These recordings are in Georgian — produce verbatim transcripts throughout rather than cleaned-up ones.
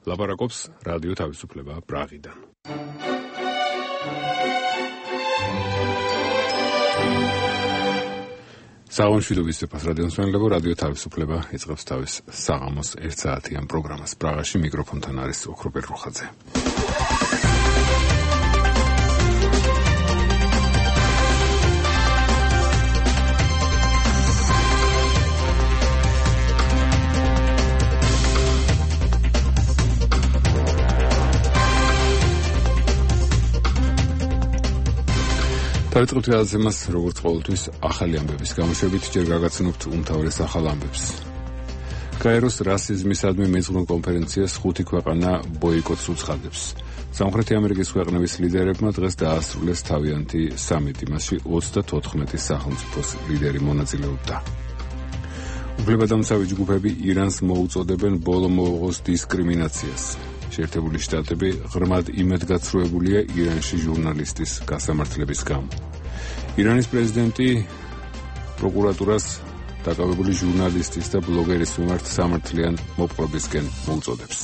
ლაპარაკობს რადიო თავისუფლება პრაღიდან. საღამოშვიდობის ძვირფას რადიომსმენელებო, რადიო თავისუფლება იწყებს თავის საღამოს ერთ საათიან პროგრამას. პრაღაში მიკროფონთან არის ოქრო ბერუხაძე. დავიწყებთ გადაცემას, როგორც ყოველთვის, ახალი ამბების გამოშვებით, ჯერ გაგაცნობთ უმთავრეს ახალ ამბებს. გაეროს რასიზმისადმი მეძღვნილ კონფერენციას ხუთი ქვეყანა ბოიკოტს უცხადებს. სამხრეთი ამერიკის ქვეყნების ლიდერებმა დღეს დაასრულეს თავიანთი სამიტი, მასში ოცდათოთხმეტი სახელმწიფოს ლიდერი მონაწილეობდა. უფლებადამცავი ჯგუფები ირანს მოუწოდებენ ბოლო მოუღოს დისკრიმინაციას. შეერთებული შტატები ღრმად იმედგაცრუებულია ირანში ჟურნალისტის გასამართლების გამო. ირანის პრეზიდენტი პროკურატურას დაკავებული ჟურნალისტის და ბლოგერის მიმართ სამართლიან მოპყრობისკენ მოუწოდებს.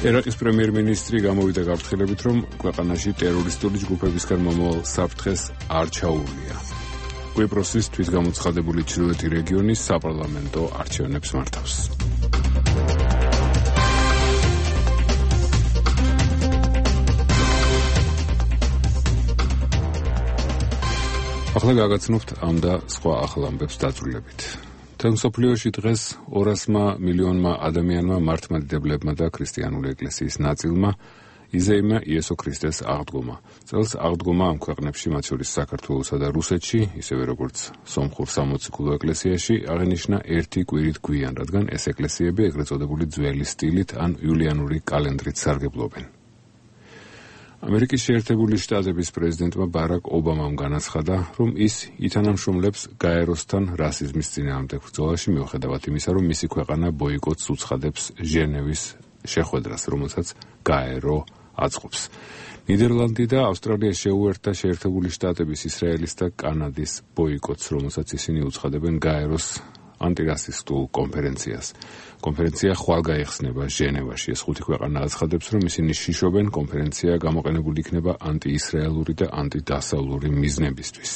ერაყის პრემიერ-მინისტრი გამოვიდა გაფრთხილებით, რომ ქვეყანაში ტერორისტული ჯგუფებისგან მომავალ საფრთხეს არ ჩაუვლია. კვიპროსის თვითგამოცხადებული ჩრდილოეთი რეგიონის საპარლამენტო არჩევნებს მართავს. ახლა გაგაცნობთ ამ და სხვა ახალ ამბებს დაწვრილებით. მთელ მსოფლიოში დღეს ორასმა მილიონმა ადამიანმა მართლმადიდებლებმა და ქრისტიანული ეკლესიის ნაწილმა იზეიმა იესო ქრისტეს აღდგომა. წელს აღდგომა ამ ქვეყნებში, მათ შორის საქართველოსა და რუსეთში, ისევე როგორც სომხურ სამოციქულო ეკლესიაში, აღენიშნა ერთი კვირით გვიან, რადგან ეს ეკლესიები ეგრეთ წოდებული ძველი სტილით ან იულიანური კალენდრით სარგებლობენ. ამერიკის შეერთებული შტატების პრეზიდენტმა ბარაკ ობამამ განაცხადა, რომ ის ითანამშრომლებს გაეროსთან რასიზმის წინააღმდეგ ბრძოლაში, მიუხედავად იმისა, რომ მისი ქვეყანა ბოიკოტს უცხადებს ჟენევის შეხვედრას, რომელსაც გაერო აწყობს. ნიდერლანდი და ავსტრალია შეუერთდა შეერთებული შტატების, ისრაელის და კანადის ბოიკოტს, რომელსაც ისინი უცხადებენ გაეროს ანტირასისტულ კონფერენციას. კონფერენცია ხვალ გაიხსნება ჟენევაში. ეს ხუთი ქვეყანა აცხადებს, რომ ისინი შიშობენ კონფერენცია გამოყენებული იქნება ანტიისრაელური და ანტიდასავლური მიზნებისთვის.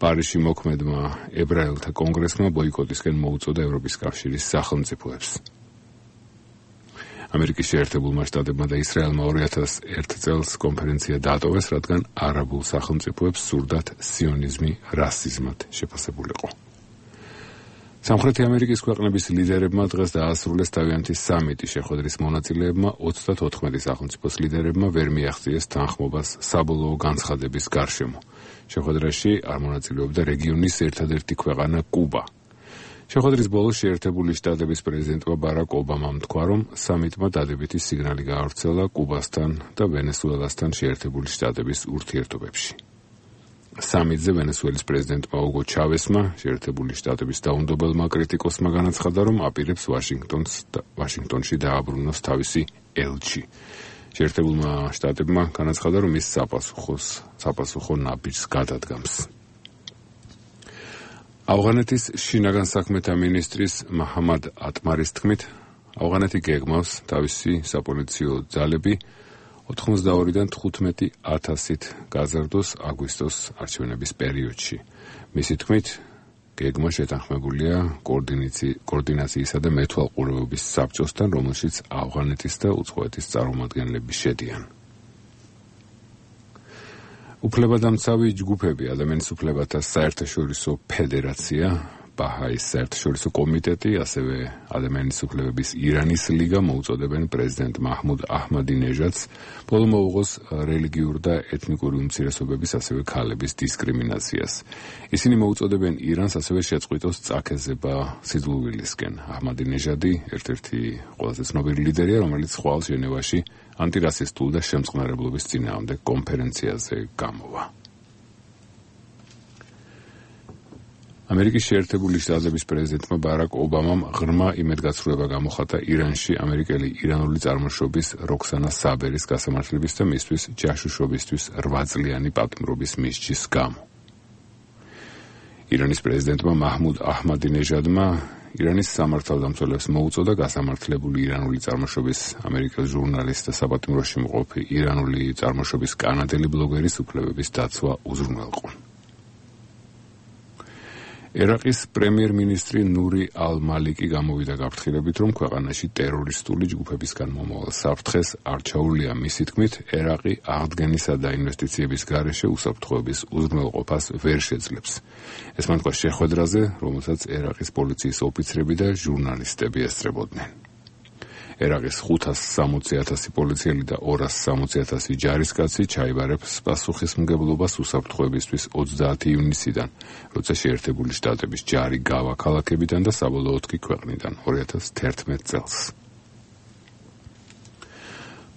პარიზში მოქმედმა ებრაელთა კონგრესმა ბოიკოტისკენ მოუწოდა ევროპის კავშირის სახელმწიფოებს. ამერიკის შეერთებულმა შტატებმა და ისრაელმა ორი ათას ერთ წელს კონფერენცია დაატოვეს, რადგან არაბულ სახელმწიფოებს სურდათ სიონიზმი რასიზმად შეფასებულიყო. სამხრეთი ამერიკის ქვეყნების ლიდერებმა დღეს დაასრულეს თავიანთი სამიტი. შეხვედრის მონაწილეებმა ოცდათოთხმეტი სახელმწიფოს ლიდერებმა ვერ მიაღწიეს თანხმობას საბოლოო განცხადების გარშემო. შეხვედრაში არ მონაწილეობდა რეგიონის ერთადერთი ქვეყანა კუბა. შეხვედრის ბოლოს შეერთებული შტატების პრეზიდენტმა ბარაკ ობამამ თქვა, რომ სამიტმა დადებითი სიგნალი გაავრცელა კუბასთან და ვენესუელასთან შეერთებული შტატების ურთიერთობებში. სამიტზე ვენესუელის პრეზიდენტმა უგო ჩავესმა, შეერთებული შტატების დაუნდობელმა კრიტიკოსმა განაცხადა, რომ აპირებს ვაშინგტონს და ვაშინგტონში დააბრუნოს თავისი ელჩი. შეერთებულმა შტატებმა განაცხადა, რომ ის საპასუხოს საპასუხო ნაბიჯს გადადგამს. ავღანეთის შინაგან საქმეთა მინისტრის მაჰამად ატმარის თქმით, ავღანეთი გეგმავს თავისი საპოლიციო ძალები ოთხმოცდაორიდან თხუთმეტი ათასით გაზარდოს აგვისტოს არჩევნების პერიოდში. მისი თქმით, გეგმა შეთანხმებულია კოორდინაციისა და მეთვალყურეობის საბჭოსთან, რომელშიც ავღანეთის და უცხოეთის წარმომადგენლები შედიან. უფლებადამცავი ჯგუფები, ადამიანის უფლებათა საერთაშორისო ფედერაცია, ბაჰაის საერთაშორისო კომიტეტი, ასევე ადამიანის უფლებების ირანის ლიგა მოუწოდებენ პრეზიდენტ მაჰმუდ აჰმადინეჟადს ბოლო მოუღოს რელიგიურ და ეთნიკური უმცირესობების, ასევე ქალების დისკრიმინაციას. ისინი მოუწოდებენ ირანს ასევე შეწყვიტოს წაქეზება სიძულვილისკენ. აჰმადინეჟადი ერთ-ერთი ყველაზე ცნობილი ლიდერია, რომელიც ხვალ ჟენევაში ანტირასისტულ და შემწყნარებლობის წინააღმდეგ კონფერენციაზე გამოვა. ამერიკის შეერთებული შტატების პრეზიდენტმა ბარაკ ობამამ ღრმა იმედგაცრუება გამოხატა ირანში ამერიკელი ირანული წარმოშობის როქსანა საბერის გასამართლების და მისთვის ჯაშუშობისთვის რვა წლიანი პატიმრობის მისჯის გამო. ირანის პრეზიდენტმა მაჰმუდ აჰმადინეჟადმა ირანის სამართალდამცველებს მოუწოდა გასამართლებული ირანული წარმოშობის ამერიკელ ჟურნალისტ და საპატიმროში მყოფი ირანული წარმოშობის კანადელი ბლოგერის უფლებების დაცვა უზრუნველყო. ერაყის პრემიერ-მინისტრი ნური ალ-მალიკი გამოვიდა გაფრთხილებით, რომ ქვეყანაში ტერორისტული ჯგუფებისგან მომავალ საფრთხეს არ ჩაუვლია. მისი თქმით, ერაყი აღდგენისა და ინვესტიციების გარეშე უსაფრთხოების უზრუნველყოფას ვერ შეძლებს. ეს მანქვა შეხვედრაზე, რომელსაც ერაყის პოლიციის ოფიცრები და ჟურნალისტები ესწრებოდნენ. ერაყის ხუთას სამოცი ათასი პოლიციელი და ორას სამოცი ათასი ჯარისკაცი ჩაიბარებს პასუხისმგებლობას უსაფრთხოებისთვის ოცდაათი ივნისიდან, როცა შეერთებული შტატების ჯარი გავა ქალაქებიდან და საბოლოოდ კი ქვეყნიდან ორი ათას თერთმეტ წელს.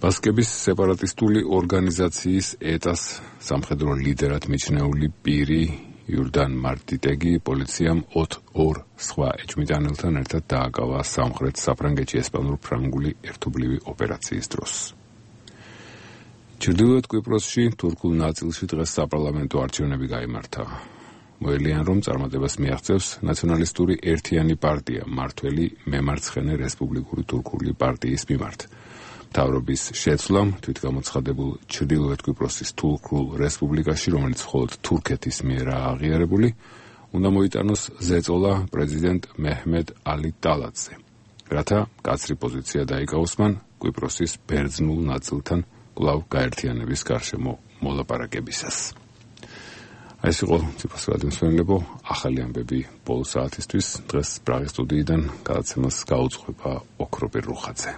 ბასკების სეპარატისტული ორგანიზაციის ეტას სამხედრო ლიდერად მიჩნეული პირი იურდან მარტიტეგი პოლიციამ ორ სხვა ეჭვმიტანელთან ერთად დააკავა სამხრეთ საფრანგეთში ესპანურ-ფრანგული ერთობლივი ოპერაციის დროს. ჩრდილოეთ კვიპროსში თურქულ ნაწილში დღეს საპარლამენტო არჩევნები გაიმართა. მოელიან, რომ წარმატებას მიაღწევს ნაციონალისტური ერთიანი პარტია მართველი მემარცხენე რესპუბლიკური თურქული პარტიის მიმართ. მთავრობის შეცვლამ თვითგამოცხადებულ ჩრდილოეთ კვიპროსის თურქულ რესპუბლიკაში, რომელიც მხოლოდ თურქეთის მიერაა აღიარებული, უნდა მოიტანოს ზეწოლა პრეზიდენტ მეჰმედ ალი ტალატზე, რათა მკაცრი პოზიცია დაიკავოს მან კვიპროსის ბერძნულ ნაწილთან კვლავ გაერთიანების გარშემო მოლაპარაკებისას. ეს იყო ციფროს რადიოსმენელებო, ახალი ამბები ბოლო საათისთვის. დღეს პრაღის სტუდიიდან გადაცემას გაუძღვება ოქროპირ რუხაძე.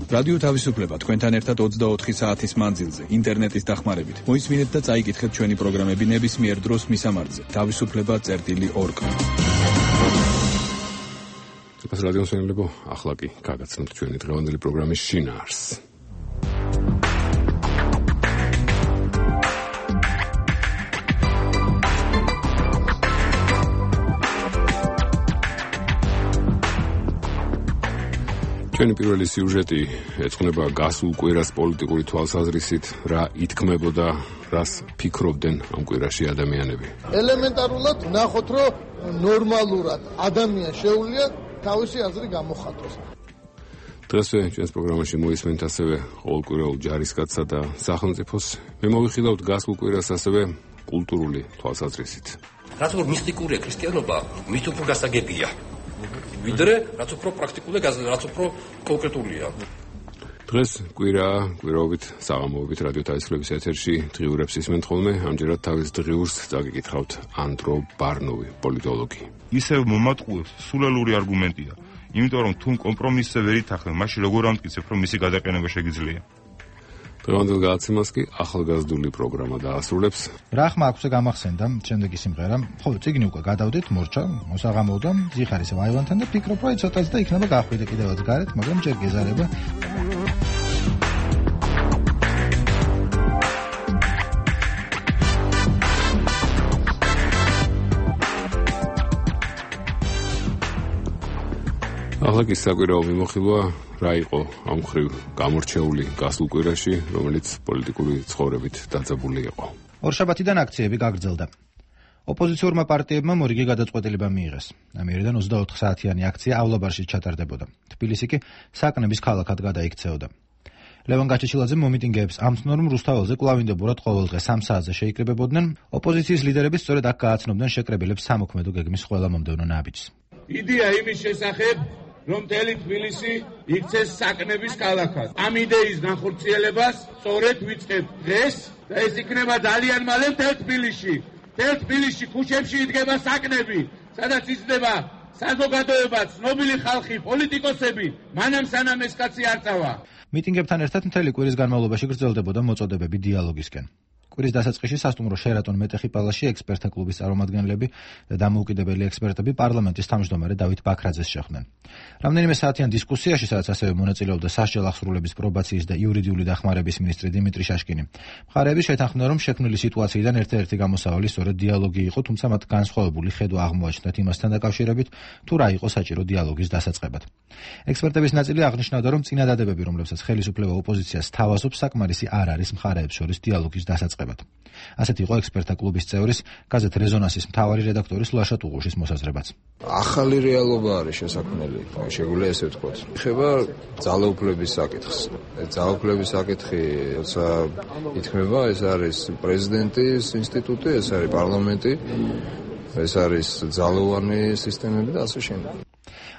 რადიო თავისუფლება თქვენთან ერთად ოცდაოთხი საათის მანძილზე ინტერნეტის დახმარებით. მოისმინეთ და წაიკითხეთ ჩვენი პროგრამები ნებისმიერ დროს მისამართზე თავისუფლება წერტილი ორგ. ციფროს რადიოსმენელებო, ახლა კი გაგაცნობთ ჩვენი დღევანდელი პროგრამის შინაარსს. ჩვენი პირველი სიუჟეტი ეძღვნება გასულ კვირას პოლიტიკური თვალსაზრისით, რა ითქმებოდა, რას ფიქრობდნენ ამ კვირაში ადამიანები. ელემენტარულად ნახოთ, რომ ნორმალურად ადამიანს შეუძლია თავისი აზრი გამოხატოს. დღესვე ჩვენს პროგრამაში მოისმენთ ასევე ყოველკვირეულ ჯარისკაცსა და სახელმწიფოს. მე მოვიხილავთ გასულ კვირას ასევე კულტურული თვალსაზრისით. რაც უფრო მისტიკურია ქრისტიანობა, მით უფრო გასაგებია. ვიდრე რაც უფრო პრაქტიკულია, რაც უფრო კონკრეტულია. დღეს კვირა, კვირაობით, საღამოობით რადიო თავისუფლების ეთერში დღიურებს ისმენთ ხოლმე, ამჯერად თავის დღიურს წაგიკითხავთ ანდრო ბარნოვი, პოლიტოლოგი. ისევ მომატყუებს სულელური არგუმენტია, იმიტომ რომ თუ კომპრომისზე ვერ ითანხმებ, მაშინ როგორ ამტკიცებ, რომ მისი გადაყენება შეგიძლია? დღევანდელ გადაცემას კი ახალგაზრდული პროგრამა დაასრულებს. რა ხმა აქვს გამახსენდა შემდეგი სიმღერა. ხო, წიგნი უკვე გადავდით, მორჩა, მოსაღამოდა, ზიხარის ვაივანთან და ფიქრობ, რომ ცოტაც და იქნება გახვიდე კიდევაც გარეთ, მაგრამ ჯერ გეზარება. ახლა კი საკვირაო მიმოხილვა რა იყო ამ ხრივ გამორჩეული გასულ კვირაში, რომელიც პოლიტიკური ცხოვრებით დაძაბული იყო. ორშაბათიდან აქციები გაგრძელდა. ოპოზიციურმა პარტიებმა მორიგი გადაწყვეტილება მიიღეს. ამიერიდან ოცდაოთხ საათიანი აქცია ავლაბარში ჩატარდებოდა. თბილისი კი საკნების ქალაქად გადაიქცეოდა. ლევან გაჩეჩილაძე მომიტინგეებს ამცნო, რომ რუსთაველზე კვლავინდებურად ყოველდღე სამ საათზე შეიკრიბებოდნენ. ოპოზიციის ლიდერები სწორედ აქ გააცნობდნენ შეკრებილებს სამოქმედო გეგმის ყველა მომდევნო ნაბიჯს. იდეა იმის შესახებ, რომ მთელი თბილისი იქცეს საკნების ქალაქად. ამ იდეის განხორციელებას სწორედ ვიწყებთ დღეს და ეს იქნება ძალიან მალე მთელ თბილისში. მთელ თბილისში ქუჩებში იდგება საკნები, სადაც იზრდება საზოგადოება, ცნობილი ხალხი, პოლიტიკოსები, მანამ სანამ ეს კაცი არ წავა. მიტინგებთან ერთად მთელი კვირის განმავლობაში გრძელდებოდა მოწოდებები დიალოგისკენ. კვირის დასაწყისში სასტუმრო შერატონ მეტეხი პალაში ექსპერტთა კლუბის წარმომადგენლები და დამოუკიდებელი ექსპერტები პარლამენტის თავმჯდომარე დავით ბაქრაძეს შეხვდნენ. რამდენიმე საათიან დისკუსიაში, სადაც ასევე მონაწილეობდა სასჯელ აღსრულების პრობაციის და იურიდიული დახმარების მინისტრი დიმიტრი შაშკინი, მხარეები შეთანხმდნენ, რომ შექმნილი სიტუაციიდან ერთ-ერთი გამოსავალი სწორედ დიალოგი იყო, თუმცა მათ განსხვავებული ხედვა აღმოაჩნდათ იმასთან დაკავშირებით, თუ რა იყო საჭირო დიალოგის დასაწყებად. ექსპერტების ნაწილი აღნიშნავდა, რომ წინადადებები, რომლებსაც ხელისუფლება ოპოზიციას თავაზობს, საკმარისი არ არის მხარეებს შორის დიალოგის დასაწყებად. ასეთი იყო ექსპერტთა კლუბის წევრის, გაზეთ რეზონანსის მთავარი რედაქტორის ლაშა ტუღუშის მოსაზრებაც. ახალი რეალობა არის შესაქმნელი, შეგვიძლია ესე ვთქვათ. ეხება ძალაუფლების საკითხს. ძალაუფლების საკითხი, როცა ითქმება, ეს არის პრეზიდენტის ინსტიტუტი, ეს არის პარლამენტი, ეს არის ძალოვანი სისტემები და ასე შემდეგ.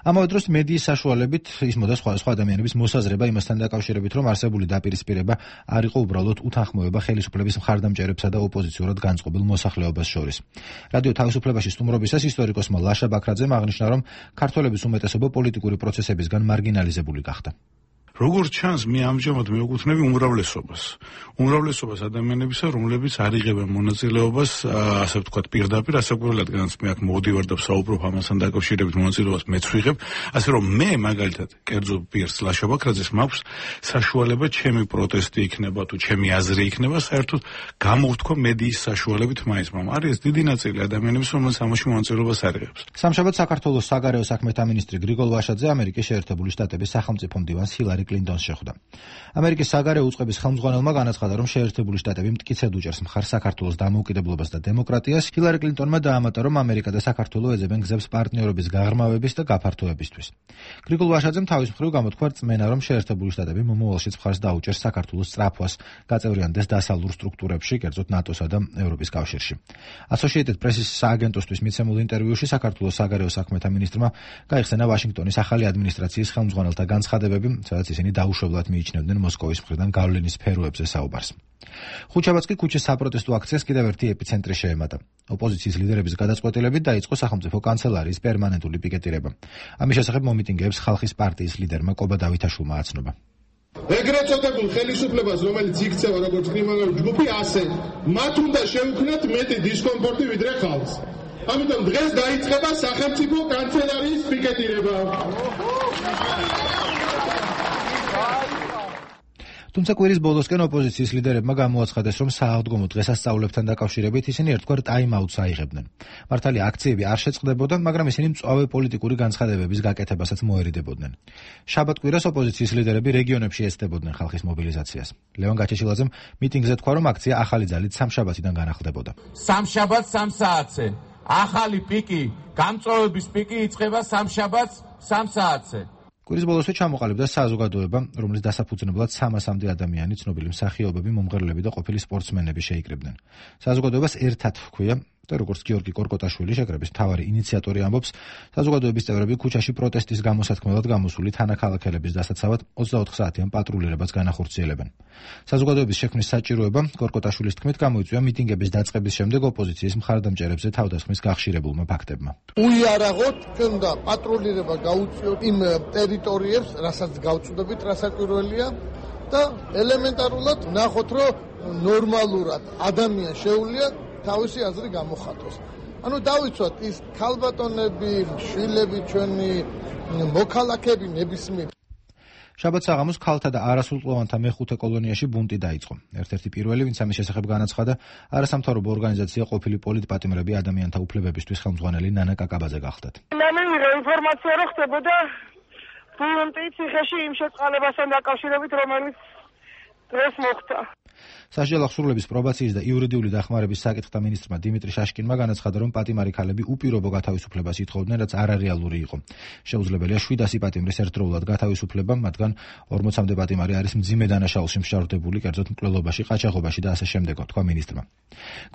ამავე დროს მედიის საშუალებით ისმოდა სხვა სხვა ადამიანების მოსაზრება იმასთან დაკავშირებით, რომ არსებული დაპირისპირება არ იყო უბრალოდ უთანხმოება ხელისუფლების მხარდამჭერებსა და ოპოზიციურად განწყობილ მოსახლეობას შორის. რადიო თავისუფლებაში სტუმრობისას ისტორიკოსმა ლაშა ბაქრაძემ აღნიშნა, რომ ქართველების უმეტესობა პოლიტიკური პროცესებისგან მარგინალიზებული გახდა. როგორც ჩანს, მე ამჟამად მეუქუთნები უმრავლესობას. უმრავლესობას ადამიანებისა, რომლებიც არ იღებენ მონაწილეობას, ასე ვთქვათ, პირდაპირ, ასაკურელად განაც მე აქ მოვდივარ და ვსაუბრობ ამასთან დაკავშირებით მონაწილეობას მეც ვიღებ, ასე რომ მე მაგალითად, კერძო პირს ლაშა ბაქრაძეს მაქვს საშუალება ჩემი პროტესტი იქნება თუ ჩემი აზრი იქნება, საერთოდ გამოვთქვა მედიის საშუალებით მაინც, მაგრამ არის დიდი ნაწილი ადამიანების, რომელსაც ამაში მონაწილეობას არ იღებს. სამშაბათ საქართველოს საგარეო საქმეთა მინისტრი გრიგოლ ვაშაძე ამერიკის შეერთებული შტატების სახელმწიფო მდივანს ჰილარი კლინტონს შეხვდა. ამერიკის საგარეო უწყების ხელმძღვანელმა განაცხადა, რომ შეერთებული შტატები მტკიცედ უჭერს მხარს საქართველოს დამოუკიდებლობას და დემოკრატიას. ჰილარი კლინტონმა დაამატა, რომ ამერიკა და საქართველო ეძებენ გზებს პარტნიორობის გაღრმავების და გაფართოებისთვის. გრიგოლ ვაშაძემ თავის მხრივ გამოთქვა რწმენა, რომ შეერთებული შტატები მომავალშიც მხარს დაუჭერს საქართველოს სწრაფვას, გაწევრიანდეს დასავლურ სტრუქტურებში, კერძოდ ნატოსა და ევროპის კავშირში. Associated Press-ის სააგენტოსთვის მიცემულ ინტერვიუში საქართველოს საგარეო საქმეთა მინისტრმა გაიხსენა ვაშინგტონის ახალი ადმინისტრაციის ხელმძღვანელთა განცხადებები, სადაც ისინი დაუშვებლად მიიჩნევდნენ მოსკოვის მხრიდან გავლენის სფეროებზე საუბარს. ხუთშაბათს კი ქუჩის საპროტესტო აქციას კიდევ ერთი ეპიცენტრი შეემატა. ოპოზიციის ლიდერების გადაწყვეტილებით დაიწყო სახელმწიფო კანცელარიის პერმანენტული პიკეტირება. ამის შესახებ მომიტინგეებს ხალხის პარტიის ლიდერმა კობა დავითაშვილმა აცნობა. ეგრეთ წოდებულ ხელისუფლებას, რომელიც იქცევა როგორც კრიმინალური ჯგუფი, ასე მათ უნდა შეუქმნათ მეტი დისკომფორტი ვიდრე ხალხს. ამიტომ დღეს დაიწყება სახელმწიფო კანცელარიის პიკეტირება. თუმცა კვირის ბოლოსკენ ოპოზიციის ლიდერებმა გამოაცხადეს, რომ სააღდგომო დღესასწაულებთან დაკავშირებით ისინი ერთგვარ ტაიმ-აუტს აიღებდნენ. მართალია აქციები არ შეწყდებოდა, მაგრამ ისინი მწვავე პოლიტიკური განცხადებების გაკეთებასაც მოერიდებოდნენ. შაბათ-კვირას ოპოზიციის ლიდერები რეგიონებში ეცდებოდნენ ხალხის მობილიზაციას. ლევან გაჩეჩილაძემ მიტინგზე თქვა, რომ აქცია ახალი ძალით სამშაბათიდან განახლდებოდა. სამშაბათს სამ საათზე. ახალი პიკი, გამწვავების პიკი იწყება სამშაბათს სამ საათზე. კვირის ბოლოსვე ჩამოყალიბდა საზოგადოება, რომლის დასაფუძნებლად სამასამდე ადამიანი, ცნობილი მსახიობები, მომღერლები და ყოფილი სპორტსმენები შეიკრიბნენ. საზოგადოებას ერთად ჰქვია და როგორც გიორგი კორკოტაშვილი, შეკრების მთავარი ინიციატორი ამბობს, საზოგადოების წევრები ქუჩაში პროტესტის გამოსათქმელად გამოსული თანაქალაქელების დასაცავად ოცდაოთხ საათიან პატრულირებას განახორციელებენ. საზოგადოების შექმნის საჭიროება კორკოტაშვილის თქმით გამოიწვია მიტინგების დაწყების შემდეგ ოპოზიციის მხარდამჭერებზე თავდასხმის გახშირებულმა ფაქტებმა. უიარაღოთ ჩვენ და პატრულირება გაუწიოთ იმ ტერიტორიებს, რასაც გავწუდებით, რა საკვირველია და ელემენტარულად ნახოთ, რომ ნორმალურად ადამიანს შეუძლია თავისი აზრი გამოხატოს. ანუ დავიცვათ ის ქალბატონები, შვილები, ჩვენი მოქალაქეები ნებისმიერ. შაბათ საღამოს ქალთა და არასრულყლოვანთა მეხუთე კოლონიაში ბუნტი დაიწყო. ერთ-ერთი პირველი, ვინც ამის შესახებ განაცხადა, არასამთავრობო ორგანიზაცია ყოფილი პოლიტპატიმრები ადამიანთა უფლებებისთვის ხელმძღვანელი ნანა კაკაბაძე გახლდათ. ნამდვილად ინფორმაცია რო ხდებოდა ბუნტი ციხეში იმ შეწყალებასთან დაკავშირებით, რომელიც დღეს მოხდა. სასჯელ აღსრულების პრობაციის და იურიდიული დახმარების საკითხთა მინისტრმა დიმიტრი შაშკინმა განაცხადა, რომ პატიმარი ქალები უპირობო გათავისუფლებას ითხოვდნენ, რაც არარეალური იყო. შეუძლებელია შვიდასი პატიმრის ერთდროულად გათავისუფლება, მათგან ორმოცამდე პატიმარი არის მძიმე დანაშაულში მსჯავრდებული, კერძოდ მკვლელობაში, ყაჩაღობაში და ასე შემდეგ, თქვა მინისტრმა.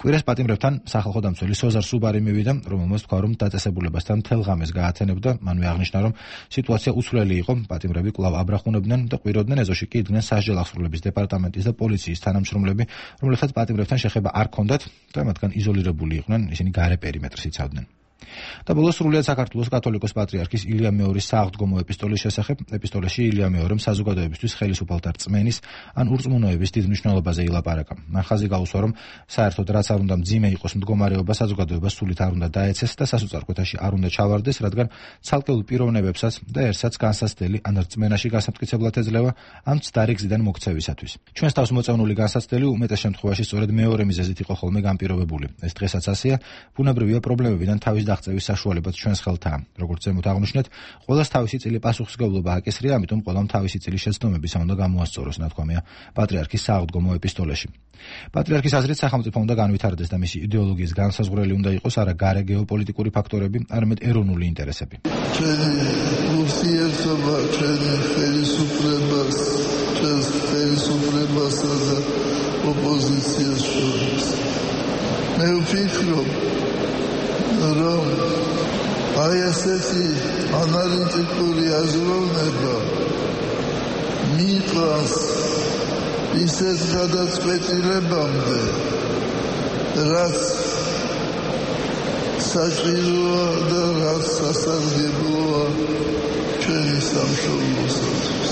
კვირას პატიმრებთან სახალხო დამცველი სოზარ სუბარი მივიდა, რომელმაც თქვა, რომ დაწესებულებასთან მთელ ღამეს გაათენებდა, მანვე აღნიშნა, რომ სიტუაცია უცვლელი იყო, პატიმრები კვლავ აბრახუნებდნენ და ყვიროდნენ ეზოში კი იდგნენ სასჯელ აღსრულების დეპარტამენტის და პოლიციის თანამშრომლები, რომლებსაც პატიმრებთან შეხება არ ჰქონდათ და მათგან იზოლირებული იყვნენ, ისინი გარე პერიმეტრს იცავდნენ. და ბოლოს სრულიად საქართველოს კათოლიკოს პატრიარქის ილია მეორის სააღდგომო ეპისტოლის შესახებ. ეპისტოლეში ილია მეორემ საზოგადოებისთვის ხელისუფალთა რწმენის ან ურწმუნოების დიდ მნიშვნელობაზე ილაპარაკა. მან ხაზი გაუსვა, რომ საერთოდ რაც არ უნდა მძიმე იყოს მდგომარეობა, საზოგადოებას სულით არ უნდა დაეცეს და სასოწარკვეთაში არ უნდა ჩავარდეს, რადგან ცალკეულ პიროვნებებსაც და ერთსაც განსაცდელი ან რწმენაში გასამტკიცებლად ეძლევა ამ ცდარი გზიდან მოქცევისათვის. ჩვენს თავს მოწევნული განსაცდელი უმეტეს შემთხვევაში სწორედ მეორე მიზეზით იყო ხოლმე განპირობებული. ეს დღესაც ასეა, ბუნებრივია პრობლემებიდან თავის დაღწევის საშუალებაც ჩვენს ხელთაა. როგორც ზემოთ აღნიშნეთ, ყველას თავისი წილი პასუხისმგებლობა აკისრია, ამიტომ ყველამ თავისი წილი შეცდომებისა უნდა გამოასწოროს, ნათქვამია პატრიარქის სააღდგომო ეპისტოლეში. პატრიარქის აზრით, სახელმწიფო უნდა განვითარდეს და მისი იდეოლოგიის განსაზღვრელი უნდა იყოს არა გარე გეოპოლიტიკური ფაქტორები, არამედ ეროვნული ინტერესები. ჩვენი ურთიერთობა, ჩვენი ხელისუფლებას, ჩვენს ხელისუფლებასა და ოპოზიციას შორის. მე ვფიქრობ, რომ აი ასეთი ანალიტიკური აზროვნება მიყვანს ისეთ გადაწყვეტილებამდე, რაც საჭიროა და რაც სასარგებლოა ჩვენი სამშობლოსათვის.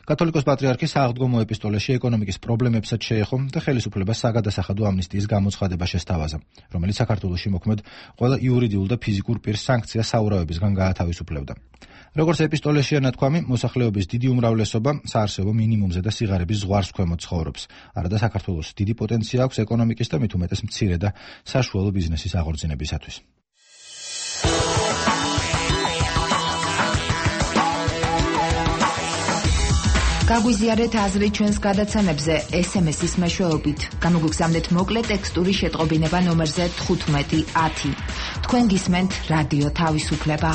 კათოლიკოს პატრიარქის სააღდგომო ეპისტოლეში ეკონომიკის პრობლემებსაც შეეხო და ხელისუფლებას საგადასახადო ამნისტიის გამოცხადება შესთავაზა, რომელიც საქართველოში მოქმედ ყველა იურიდიულ და ფიზიკურ პირს სანქცია საურავებისგან გაათავისუფლებდა. როგორც ეპისტოლეშია ნათქვამი, მოსახლეობის დიდი უმრავლესობა საარსებო მინიმუმზე და სიღარიბის ზღვარს ქვემოთ ცხოვრობს. არადა საქართველოს დიდი პოტენცია აქვს ეკონომიკის და მით უმეტეს მცირე და საშუალო ბიზნესის აღორძინებისათვის. გაგვიზიარეთ აზრი ჩვენს გადაცემებზე ეს ემ ეს-ის მეშვეობით. გამოგიგზავნეთ მოკლე ტექსტური შეტყობინება ნომერზე თხუთმეტი ათი. თქვენ გისმენთ რადიო თავისუფლება.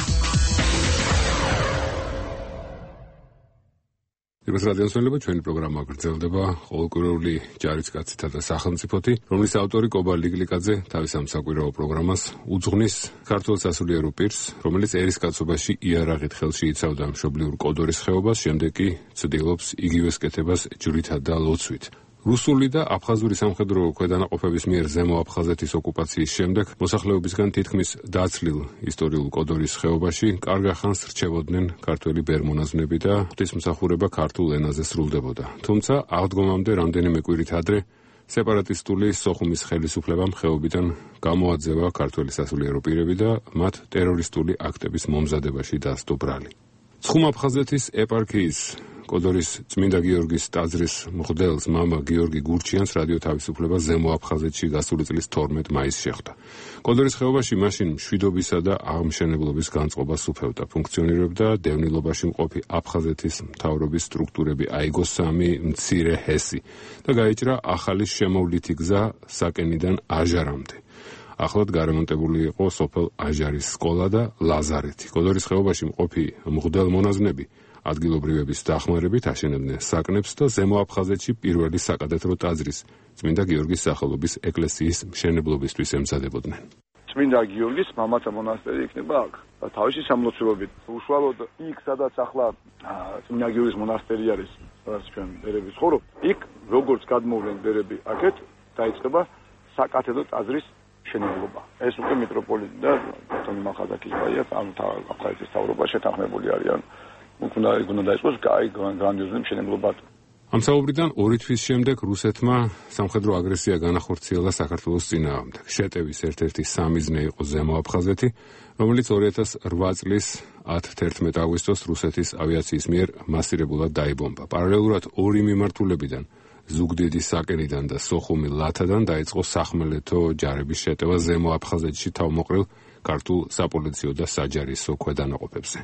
Irbas radiosonleba ჩვენი პროგრამა გრძელდება ყოველკვირეული ჯარისკაცითა და სახელმწიფოთი, რომლის ავტორი კობა ლიგლიკაძე თავის ამ საკვირაო პროგრამას უძღვნის ქართულ სასულიერო პირს, რომელიც ერისკაცობაში იარაღით ხელში იცავდა მშობლიურ კოდორის ხეობას, შემდეგ კი ცდილობს იგივეს კეთებას ჯვრითა და ლოცვით. რუსული და აფხაზური სამხედრო ქვედანაყოფების მიერ ზემო აფხაზეთის ოკუპაციის შემდეგ მოსახლეობისგან თითქმის დაცლილ ისტორიულ კოდორის ხეობაში კარგ ხანს რჩებოდნენ ქართველი ბერმონაზვნები და ღვთისმსახურება ქართულ ენაზე სრულდებოდა. თუმცა აღდგომამდე რამდენიმე კვირით ადრე სეპარატისტული სოხუმის ხელისუფლებამ ხეობიდან გამოაძევა ქართველი სასულიერო პირები და მათ ტერორისტული აქტების მომზადებაში დასდო ბრალი. ცხუმ-აფხაზეთის ეპარქიის კოდორის წმინდა გიორგის ტაძრის მღვდელს მამა გიორგი გურჩიანს რადიო თავისუფლება ზემო აფხაზეთში გასული წლის თორმეტ მაისს შეხვდა. კოდორის ხეობაში მაშინ მშვიდობისა და აღმშენებლობის განწყობას უფევდა. ფუნქციონირებდა დევნილობაში მყოფი აფხაზეთის მთავრობის სტრუქტურები აიგო სამი მცირე ჰესი და გაიჭრა ახალი შემოვლითი გზა საკენიდან აჟარამდე. ახლად გარემონტებული იყო სოფელ აჟარის სკოლა და ლაზარეთი. კოდორის ხეობაში მყოფი მღვდელ მონაზვნები ადგილობრივების დახმარებით აშენებდნენ საკნებს და ზემო აფხაზეთში პირველი საკადეტრო ტაძრის წმინდა გიორგის სახელობის ეკლესიის მშენებლობისთვის ემზადებოდნენ. წმინდა გიორგის მამათა მონასტერი იქნება აქ. თავისი სამლოცველობით. უშუალოდ იქ, სადაც ახლა წმინდა გიორგის მონასტერი არის, სადაც ჩვენ ბერები ცხოვრობ, იქ როგორც გადმოვლენ ბერები აქეთ, დაიწყება საკათედრო ტაძრის მშენებლობა. ეს უკვე მიტროპოლიტი და ბატონი მახაზაკის ბაია, ანუ აფხაზეთის მთავრობა შეთანხმებული არიან. უნდა უნდა დაიწყოს კაი გრანდიოზული მშენებლობა. ამ საუბრიდან ორი თვის შემდეგ რუსეთმა სამხედრო აგრესია განახორციელა საქართველოს წინააღმდეგ. შეტევის ერთ-ერთი სამიზნე იყო ზემო აფხაზეთი, რომელიც ორი ათას რვა წლის ათი აგვისტოს რუსეთის ავიაციის მიერ მასირებულად დაიბომბა. პარალელურად ორი მიმართულებიდან ზუგდიდის საკენიდან და სოხუმი ლათადან დაიწყო სახმელეთო ჯარების შეტევა ზემო აფხაზეთში თავმოყრილ ქართულ საპოლიციო და საჯარისო ქვედანაყოფებზე.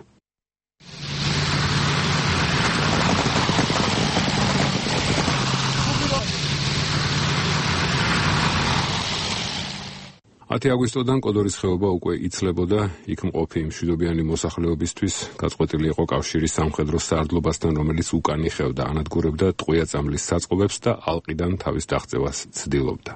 ათი აგვისტოდან კოდორის ხეობა უკვე იცლებოდა, იქ მყოფი მშვიდობიანი მოსახლეობისთვის გაწყვეტილი იყო კავშირის სამხედრო სარდლობასთან, რომელიც უკან იხევდა, ანადგურებდა ტყვია-წამლის საწყობებს და ალყიდან თავის დაღწევას ცდილობდა.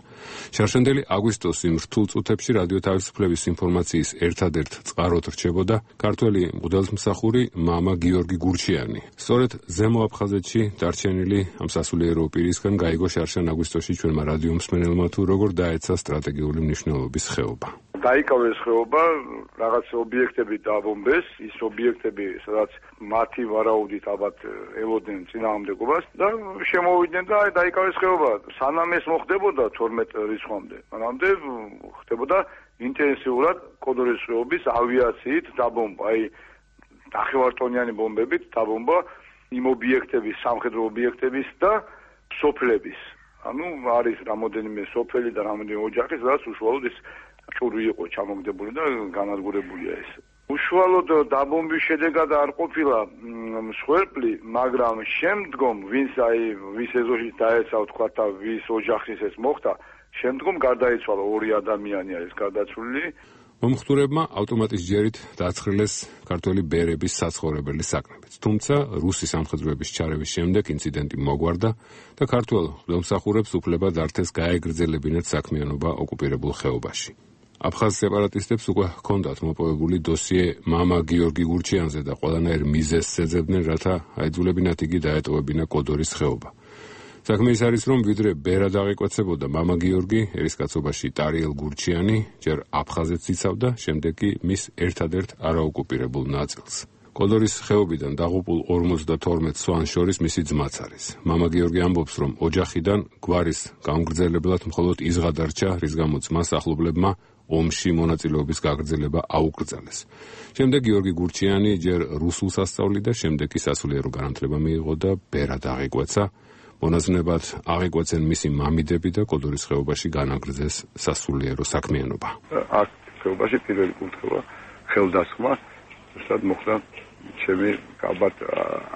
შარშანდელი აგვისტოს იმ რთულ წუთებში რადიო თავისუფლების ინფორმაციის ერთადერთ წყაროდ რჩებოდა ქართველი მღვდელმსახური მამა გიორგი გურჩიანი. სწორედ ზემო აფხაზეთში დარჩენილი ამ სასულიერო პირისგან გაიგო შარშან აგვისტოში ჩვენმა რადიო მსმენელმა თუ როგორ დაეცა სტრატეგიული მნიშვნელობის ხეობა. დაიკავეს ხეობა, რაღაც ობიექტები დააბომბეს, ის ობიექტები, სადაც მათი ვარაუდით ალბათ ელოდნენ წინააღმდეგობას და შემოვიდნენ და დაიკავეს ხეობა. სანამ ეს მოხდებოდა თორმეტ რიცხვამდე, მანამდე ხდებოდა ინტენსიურად კოდორის ხეობის ავიაციით დაბომბვა, აი ნახევარტონიანი ბომბებით დაბომბვა იმ ობიექტების, სამხედრო ობიექტების და სოფლების. ანუ არის რამოდენიმე სოფელი და რამოდენიმე ოჯახი, სადაც უშუალოდ ეს ჭური იყო ჩამოგდებული და განადგურებულია ეს. უშუალოდ დაბომბვის შედეგად არ ყოფილა მსხვერპლი, მაგრამ შემდგომ ვინც აი ვის ეზოში დაეცა თქვა და ვის ოჯახის ეს მოხდა, შემდგომ გარდაიცვალა ორი ადამიანი არის გარდაცვლილი. მომხდურებმა ავტომატის ჯერით დააცხრილეს ქართველი ბერების საცხოვრებელი საკნებიც. თუმცა რუსი სამხედროების ჩარევის შემდეგ ინციდენტი მოგვარდა და ქართველ მღვდელმსახურებს უფლება დართეს გაეგრძელებინათ საქმიანობა ოკუპირებულ ხეობაში. აფხაზ სეპარატისტებს უკვე ჰქონდათ მოპოვებული დოსიე მამა გიორგი გურჩიანზე და ყველანაირ მიზეზს ეძებდნენ, რათა აიძულებინათ იგი დაეტოვებინა კოდორის ხეობა. საქმე ის არის, რომ ვიდრე ბერა დაღიკვეცებოდა მამა გიორგი, ერისკაცობაში ტარიელ გურჩიანი ჯერ აფხაზეთს იცავდა, შემდეგ კი მის ერთადერთ არაოკუპირებულ ნაწილს. კოდორის ხეობიდან დაღუპულ ორმოცდათორმეტ სვანს შორის მისი ძმაც არის. მამა გიორგი ამბობს, რომ ოჯახიდან გვარის გამგრძელებლად მხოლოდ ის ღადარჩა, რის გამოც მას ახლობლებმა ომში მონაწილეობის გაგრძელება აუკრძალეს. შემდეგ გიორგი გურჩიანი ჯერ რუსულს ასწავლიდა, შემდეგ კი სასულიერო განათლება მიიღო და ბერა დაღიკვეცა. მონაზვნებად აღიკვეცენ მისი მამიდები და კოდორის ხეობაში განაგრძეს სასულიერო საქმიანობა. აქ ხეობაში პირველი კურთხევა ხელდასხმა, ზუსტად მოხდა ჩემი ალბათ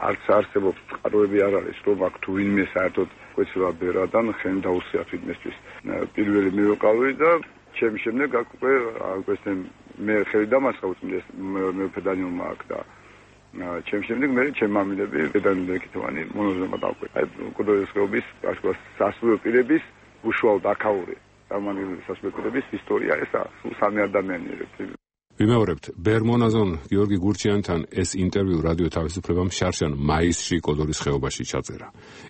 არც არსებობს წყაროები არ არის, რომ აქ თუ ვინმე საერთოდ კვეცება ბერადან ხენ დაუსიათ ვინმესთვის. პირველი მე ვიყავი და ჩემი შემდეგ აქ უკვე აკვესენ მე ხელი დამასხავწმდეს მეფედანიუმ აქ და ჩემ შემდეგ მე ჩემ მამიდები დედანიკითოვანი მონაზვნებად დაყვე. აი კოდორის ხეობის ასკას სასულიერო პირების უშუალოდ აქაური წარმოგიდგენელი სასულიერო პირების ისტორია ესა სულ სამი ადამიანი ერთად. ვიმეორებთ, ბერმონაზონ გიორგი გურჩიანთან ეს ინტერვიუ რადიო თავისუფლებამ შარშან მაისში კოდორის ხეობაში ჩაწერა.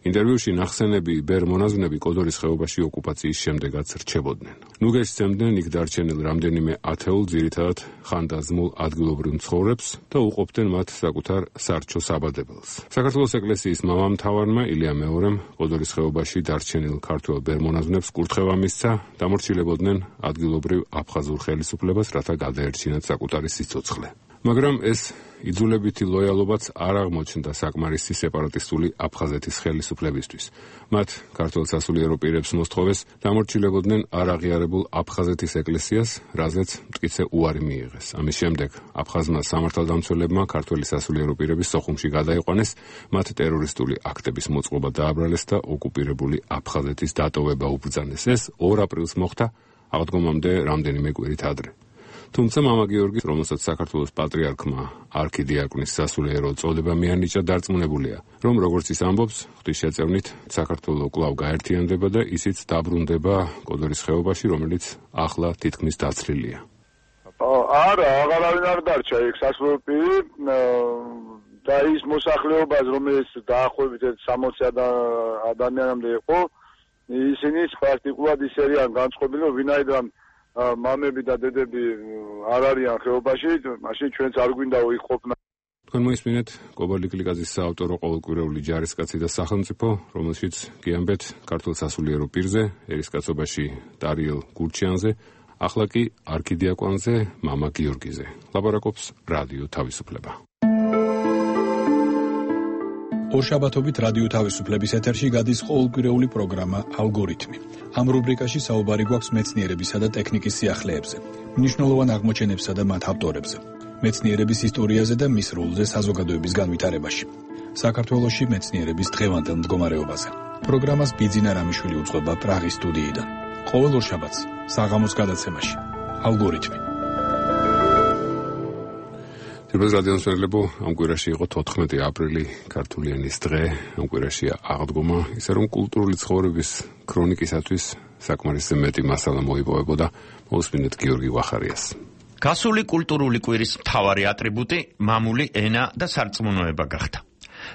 ინტერვიუში ნახსენები ბერმონაზვნები კოდორის ხეობაში ოკუპაციის შემდეგაც რჩებოდნენ. ნუ გესცემდნენ იქ დარჩენილ რამდენიმე ათეულ ძირითადად ხანდაზმულ ადგილობრივ მცხოვრებს და უყოფდნენ მათ საკუთარ სარჩო საბადებელს. საქართველოს ეკლესიის მამამთავარმა ილია მეორემ კოდორის ხეობაში დარჩენილ ქართველ ბერმონაზვნებს კურთხევა მისცა, დამორჩილებოდნენ ადგილობრივ აფხაზურ ხელისუფლებას, რათა გადაერჩინათ საკუთარი სიცოცხლე. მაგრამ ეს იძულებითი ლოიალობაც არ აღმოჩნდა საკმარისი სეპარატისტული აფხაზეთის ხელისუფლებისთვის. მათ ქართველ სასულიერო პირებს მოსთხოვეს დამორჩილებოდნენ არაღიარებულ აფხაზეთის ეკლესიას, რაზეც მტკიცე უარი მიიღეს. ამის შემდეგ აფხაზმა სამართალდამცველებმა ქართველი სასულიერო პირების სოხუმში გადაიყვანეს, მათ ტერორისტული აქტების მოწყობა დააბრალეს და ოკუპირებული აფხაზეთის დატოვება უბრძანეს. ეს ორ აპრილს მოხდა, აღდგომამდე რამდენიმე კვირით ადრე. თუმცა მამა გიორგის, რომელსაც საქართველოს პატრიარქმა არქიდიაკონის სასულიერო წოდება მიანიჭა, დარწმუნებულია, რომ როგორც ის ამბობს, ღვთისშეწევნით საქართველო კვლავ გაერთიანდება და ისიც დაბრუნდება კოდორის ხეობაში, რომელიც ახლა თითქმის დაცლილია. არა, აღარავინ არ დარჩა იქ სასულიერო პირი და ის მოსახლეობას, რომელიც დაახლოებით სამოცი ადამიანამდე იყო, ისინი პრაქტიკულად ის არიან განწყობილი, რომ ვინაიდან მამები და დედები არ არიან ხეობაში, მაშინ ჩვენც არ გვინდაო იქ ყოფნა. თქვენ მოისმინეთ კობალტ კლიკაძის საავტორო ყოველკვირეული ჯარისკაცი და სახელმწიფო, რომელშიც გიამბეთ ქართულ სასულიერო პირზე, ერისკაცობაში ტარიელ გურჩიანზე, ახლა კი არქიდიაკონზე, მამა გიორგიზე. ლაპარაკობს რადიო თავისუფლება. ორშაბათობით რადიო თავისუფლების ეთერში გადის ყოველკვირეული პროგრამა ალგორითმი. ამ რუბრიკაში საუბარი გვაქვს მეცნიერებისა და ტექნიკის სიახლეებზე, მნიშვნელოვან აღმოჩენებსა და მათ ავტორებზე, მეცნიერების ისტორიაზე და მის როლზე საზოგადოების განვითარებაში. საქართველოში მეცნიერების დღევანდელ მდგომარეობაზე. პროგრამას ბიძინა რამიშვილი უძღვება პრაღის სტუდიიდან. ყოველ ორშაბათს საღამოს გადაცემაში ალგორითმი. თბილისის რადიოსმენელებო, ამ კვირაში იყო თოთხმეტი აპრილი, ქართული ენის დღე, ამ კვირაშია აღდგომა, ისე რომ კულტურული ცხოვრების ქრონიკისათვის საკმარისი მეტი მასალა მოიპოვებოდა. მოусმინეთ გიორგი ვახარიას. გასული კულტურული კვირის მთავარი ატრიბუტი მამული ენა და სარწმუნოება გახდა.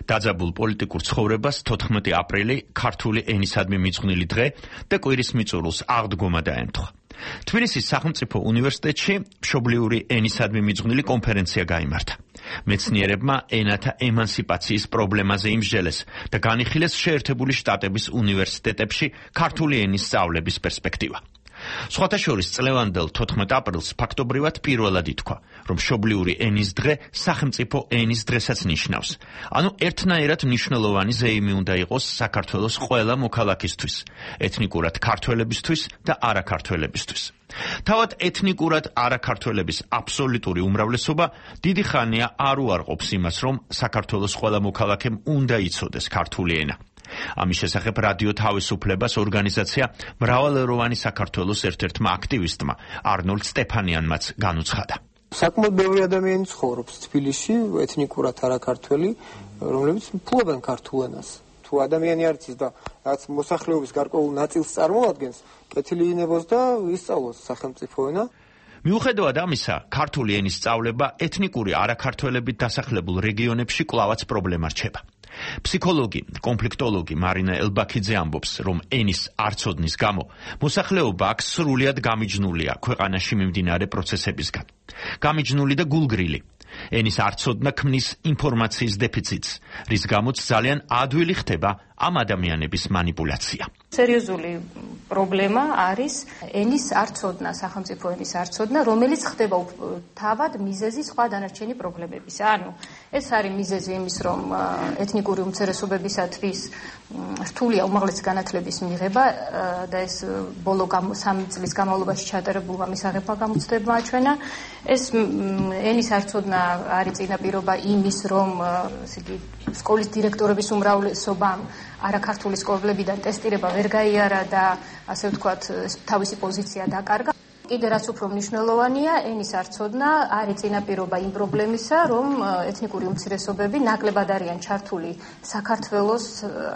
დაძაბულ პოლიტიკურ ცხოვრებას თოთხმეტი აპრილი ქართული ენისადმი მიძღვნილი დღე და კვირის მიწურულს აღდგომა დაემთხვა. თბილისის სახელმწიფო უნივერსიტეტში მშობლიური ენისადმი მიძღვნილი კონფერენცია გაიმართა. მეცნიერებმა ენათა ემანსიპაციის პრობლემაზე იმსჯელეს და განიხილეს შეერთებული შტატების უნივერსიტეტებში ქართული ენის სწავლების პერსპექტივა. სხვათა შორის წლევანდელ თოთხმეტ აპრილს ფაქტობრივად პირველად ითქვა, რომ მშობლიური ენის დღე სახელმწიფო ენის დღესაც ნიშნავს. ანუ ერთნაირად მნიშვნელოვანი ზეიმი უნდა იყოს საქართველოს ყველა მოქალაქისთვის, ეთნიკურად ქართველებისთვის და არაქართველებისთვის. თავად ეთნიკურად არაქართველების აბსოლუტური უმრავლესობა დიდი ხანია არ უარყოფს იმას, რომ საქართველოს ყველა მოქალაქემ უნდა იცოდეს ქართული ენა. ამის შესახებ რადიო თავისუფლებას ორგანიზაცია მრავალეროვანი საქართველოს ერთ-ერთმა აქტივისტმა არნოლდ სტეფანიანმაც განუცხადა. საკმაოდ ბევრი ადამიანი ცხოვრობს თბილისში, ეთნიკურად არაქართველი, რომლებიც ფლობენ ქართულ ენას. თუ ადამიანი არ იცის და რაც მოსახლეობის გარკვეულ ნაწილს წარმოადგენს, კეთილი იქნებოს და ისწავლოს სახელმწიფო ენა. მიუხედავად ამისა, ქართული ენის სწავლება ეთნიკური არაქართველებით დასახლებულ რეგიონებში კვლავაც პრობლემა რჩება. ფსიქოლოგი, კონფლიქტოლოგი მარინა ელბაქიძე ამბობს, რომ ენის არცოდნის გამო მოსახლეობა აქ სრულიად გამიჯნულია ქვეყანაში მიმდინარე პროცესებისგან. გამიჯნული და გულგრილი. ენის არცოდნა ქმნის ინფორმაციის დეფიციტს, რის გამოც ძალიან ადვილი ხდება ამ ადამიანების манипуляция. სერიოზული პრობლემა არის ენის არცოდნა, სახელმწიფო ენის არცოდნა, რომელიც ხდება თავად მიზეზი სხვა დანარჩენი პრობლემების. ანუ ეს არის მიზეზი იმის, რომ ეთნიკური უმცირესობებისათვის რთულია უმაღლესი განათლების მიღება და ეს ბოლო სამი წლის განმავლობაში ჩატარებულმა მისაღებმა გამოცდებმა აჩვენა. ეს ენის არცოდნა არის წინაპირობა იმის, რომ ესე იგი სკოლის დირექტორების უმრავლესობამ არაქართული სკოლებიდან ტესტირება ვერ გაიარა და ასე ვთქვათ თავისი პოზიცია დაკარგა. კიდე რაც უფრო მნიშვნელოვანია, ენის არცოდნა არის წინაპირობა იმ პრობლემისა, რომ ეთნიკური უმცირესობები ნაკლებად არიან ჩართული საქართველოს,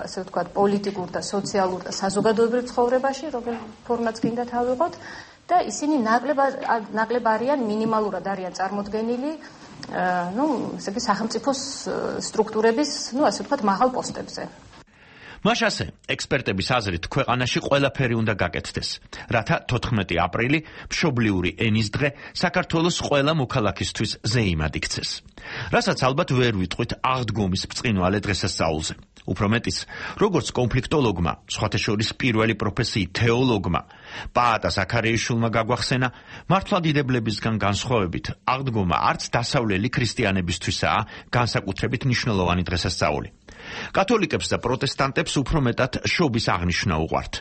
ასე ვთქვათ, პოლიტიკურ და სოციალურ და საზოგადოებრივ ცხოვრებაში, რომელ ფორმაც გინდა თავიღოთ, და ისინი ნაკლებად ნაკლებ არიან, მინიმალურად არიან წარმოდგენილი, ну, ესე იგი სახელმწიფოს სტრუქტურების, ну, ასე ვთქვათ, მაღალ პოსტებზე. მას ასე, ექსპერტების აზრით, ქვეყანაში ყველაფერი უნდა გაკეთდეს, რათა თოთხმეტი აპრილი, მშობლიური ენის დღე, საქართველოს ყველა მოქალაქისთვის ზეიმად იქცეს. რასაც ალბათ ვერ ვიტყვით აღდგომის ბრწყინვალე დღესასწაულზე. უფრო მეტიც, როგორც კონფლიქტოლოგმა, სხვათა შორის პირველი პროფესიით თეოლოგმა, პაატა ზაქარეიშვილმა გაგვახსენა, მართლმადიდებლებისგან განსხვავებით, აღდგომა არც დასავლელი ქრისტიანებისთვისაა განსაკუთრებით მნიშვნელოვანი დღესასწაული. კათოლიკებს და პროტესტანტებს უფრო მეტად შობის აღნიშვნა უყვართ,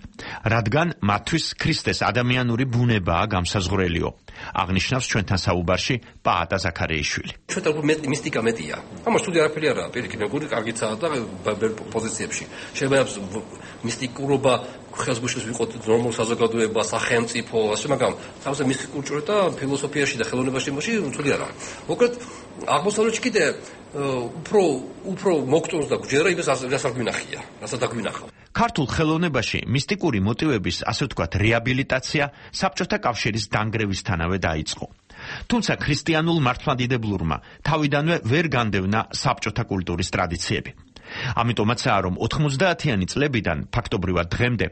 რადგან მათთვის ქრისტეს ადამიანური ბუნებაა გამსაზღვრელიო, აღნიშნავს ჩვენთან საუბარში პაატა ზაქარეიშვილი. ჩვენთან მისტიკა მეტია. ამას თუ არაფერი არაა, პირიქით, მეგორი კარგიცაა და პოზიციებში. შეიძლება მისტიკურობა ხელს გუშლის ვიყოთ ნორმალ საზოგადოება, სახელმწიფო, ასე მაგრამ თავზე მისტიკურ ჭრე და ფილოსოფიაში და ხელოვნებაში მოსი უცვლელი არა. მოკლედ აღმოსავლეთში კიდე უფრო უფრო მოგწონს და გვჯერა იმას რასაც გვინახია, რასაც დაგვინახავ. ქართულ ხელოვნებაში მისტიკური მოტივების, ასე ვთქვათ, რეაბილიტაცია საბჭოთა კავშირის დანგრევისთანავე დაიწყო. თუმცა ქრისტიანულ მართლმადიდებლურმა თავიდანვე ვერ განდევნა საბჭოთა კულტურის ტრადიციები. ამიტომაცაა, რომ ოთხმოცდაათიანი წლებიდან ფაქტობრივად დღემდე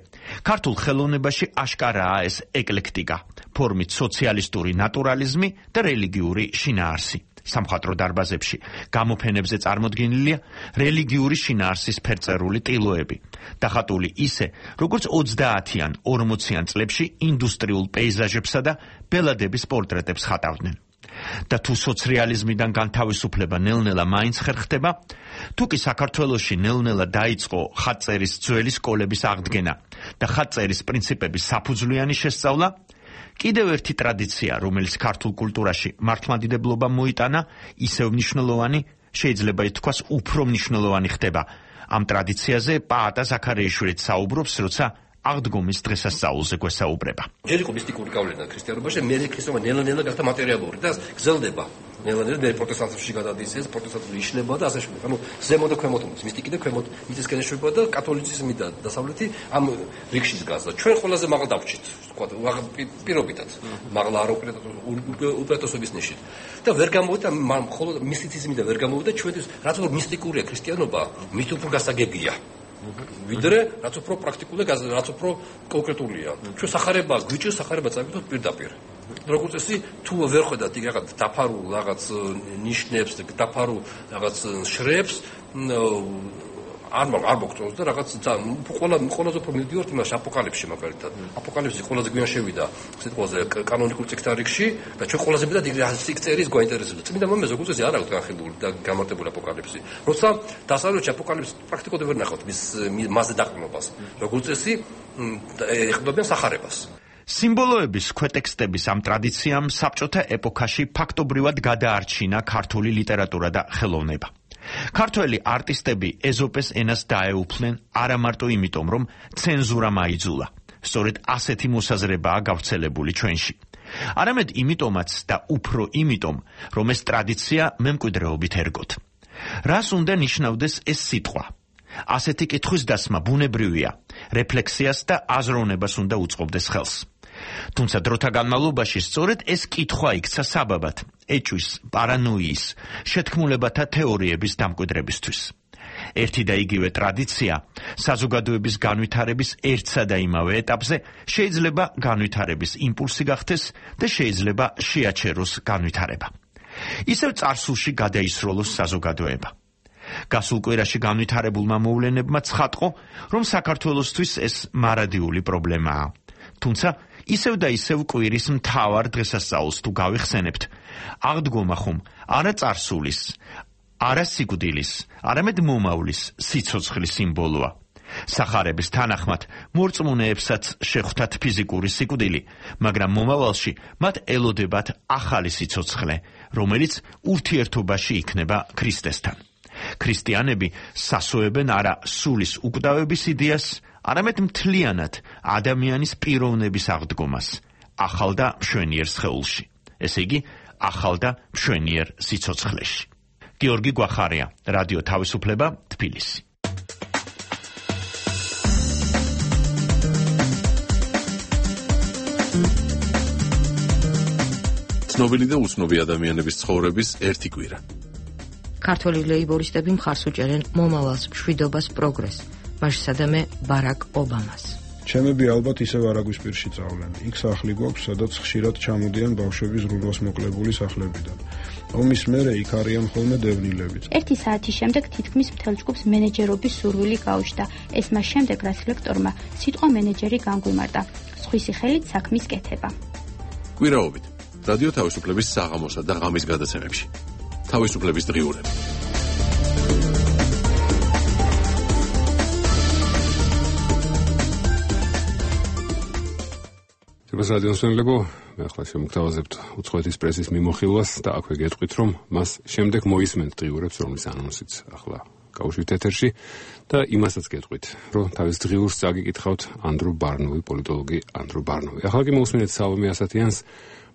ქართულ ხელოვნებაში აშკარაა ეს ეკლექტიკა, ფორმით სოციალისტური ნატურალიზმი და რელიგიური შინაარსი. სამხატვრო დარბაზებში გამოფენებზე წარმოდგენილია რელიგიური შინაარსის ფერწერული ტილოები, დახატული ისე, როგორც ოცდაათიან ორმოციან წლებში ინდუსტრიულ პეიზაჟებსა და ბელადების პორტრეტებს ხატავდნენ. და თუ სოციალიზმიდან განთავისუფლება ნელ-ნელა მაინც ხერხდება, თუ კი საქართველოში ნელ-ნელა დაიწყო ხატწერის ძველი სკოლების აღდგენა და ხატწერის პრინციპების საფუძვლიანი შესწავლა, კიდევ ერთი ტრადიცია, რომელიც ქართულ კულტურაში მართლმადიდებლობამ მოიტანა, ისევ მნიშვნელოვანი, შეიძლება ითქვას უფრო მნიშვნელოვანი ხდება. ამ ტრადიციაზე პაატა ზაქარეიშვილიც საუბრობს, როცა აღდგომის დღესასწაულზე გვესაუბრება. ჯერ იყო მისტიკური გავლენა ქრისტიანობაში, მე ქრისტიანობა ნელა-ნელა გახდა მატერიალური და გრძელდება. ნელ-ნელა მე პროტესტანტებში გადადის ეს პროტესტანტული იშნება და ასე შემდეგ. ანუ ზემო და ქვემოთ მისტიკი და ქვემოთ მიწისკენ ეშვება და კათოლიციზმი და დასავლეთი ამ რიგში დგას და ჩვენ ყველაზე მაღალ დაბჭით, თქვა პირობითად. მაღლა არ უპირატესობის ნიშით. და ვერ გამოვიდა მხოლოდ მისტიციზმი და ვერ გამოვიდა ჩვენთვის რაც უფრო მისტიკურია ქრისტიანობა, მით უფრო გასაგებია. ვიდრე რაც უფრო პრაქტიკულია, რაც უფრო კონკრეტულია. ჩვენ სახარება გვიჭირს, სახარება წავიდოთ პირდაპირ. როგორც წესი, თუ ვერ ხედავთ იქ რაღაც დაფარულ რაღაც ნიშნებს, დაფარულ რაღაც შრეებს, არ მაგ არ მოგწონს და რაღაც ყველა ყველაზე უფრო მივდივართ იმას აპოკალიფსში მაგალითად. აპოკალიფსი ყველაზე გვიან შევიდა სიტყვაზე კანონიკურ წიგნთა რიგში და ჩვენ ყველაზე მეტად იქ სიკწერის გვაინტერესებდა. წმინდა მამაზე როგორც წესი არ აქვს განხილული და გამარტებული აპოკალიფსი. როცა დასავლეთში აპოკალიფსი პრაქტიკულად ვერ ნახავთ მის მასზე დაყრდნობას. როგორც წესი ეხებიან სახარებას. სიმბოლოების ქვეტექსტების ამ ტრადიციამ საბჭოთა ეპოქაში ფაქტობრივად გადაარჩინა ქართული ლიტერატურა და ხელოვნება. ქართველი არტისტები ეზოპეს ენას დაეუფლნენ არა მარტო იმიტომ, რომ ცენზურა მაიძულა. სწორედ ასეთი მოსაზრებაა გავრცელებული ჩვენში. არამედ იმიტომაც და უფრო იმიტომ, რომ ეს ტრადიცია მემკვიდრეობით ერგოთ. რას უნდა ნიშნავდეს ეს სიტყვა? ასეთი კითხვის დასმა ბუნებრივია, რეფლექსიას და აზროვნებას უნდა უწყობდეს ხელს. თუმცა დროთა განმავლობაში სწორედ ეს კითხვა იქცა საბაბად ეჭვის, პარანოიის, შეთქმულებათა თეორიების დამკვიდრებისთვის. ერთი და იგივე ტრადიცია საზოგადოების განვითარების ერთსა და იმავე ეტაპზე შეიძლება განვითარების იმპულსი გახდეს და შეიძლება შეაჩეროს განვითარება. ისევ წარსულში გადაისროლოს საზოგადოება. გასულ კვირაში განვითარებულმა მოვლენებმა ცხადყო, რომ საქართველოსთვის ეს მარადიული პრობლემაა. თუმცა ისევ და ისევ კვირის მთავარ დღესასწაულს თუ გავიხსენებთ, აღდგომა ხომ არა წარსულის, არა სიკვდილის, არამედ მომავლის სიცოცხლის სიმბოლოა. სახარების თანახმად მორწმუნეებსაც შეხვდათ ფიზიკური სიკვდილი, მაგრამ მომავალში მათ ელოდებათ ახალი სიცოცხლე, რომელიც ურთიერთობაში იქნება ქრისტესთან. ქრისტიანები სასოებენ არა სულის უკვდავების იდეას, არამედ მთლიანად ადამიანის პიროვნების აღდგომას, ახალ და მშვენიერ სხეულში. ესე იგი, ახალ და მშვენიერ სიცოცხლეში. გიორგი გვახარია, რადიო თავისუფლება, თბილისი. ცნობილი და უცნობი ადამიანების ცხოვრების ერთი კვირა. ქართველი ლეიბორისტები მხარს უჭერენ მომავალს, მშვიდობას, პროგრესს. მაშსადამე ბარაკ ობამას. ჩემები ალბათ ისევ არაგვისპირში წავლენ. იქ სახლი გვაქვს, სადაც ხშირად ჩამოდიან ბავშვები ზრუნვას მოკლებული სახლებიდან. ომის მერე იქ არიან ხოლმე დევნილებიც. ერთი საათის შემდეგ თითქმის მთელ ჯგუფს მენეჯერობის სურვილი გაუჩნდა. ეს მას შემდეგ, რაც ლექტორმა სიტყვა მენეჯერი განგვიმარტა. სხვისი ხელით საქმის კეთება. კვირაობით რადიო თავისუფლების საღამოსა და ღამის გადაცემებში. თავისუფლების დღიურები. ეს რადიოსმენლებო, მე ახლა შემოგთავაზებთ უცხოეთის პრესის მიმოხილვას და აქვე გეტყვით, რომ მას შემდეგ მოისმენთ დღიურებს, რომლის ანონსიც ახლა გავუშვით ეთერში და იმასაც გეტყვით, რომ თავის დღიურს წაგიკითხავთ ანდრო ბარნოვი, პოლიტოლოგი ანდრო ბარნოვი. ახლა კი მოусმენთ სალომე ასათიანს,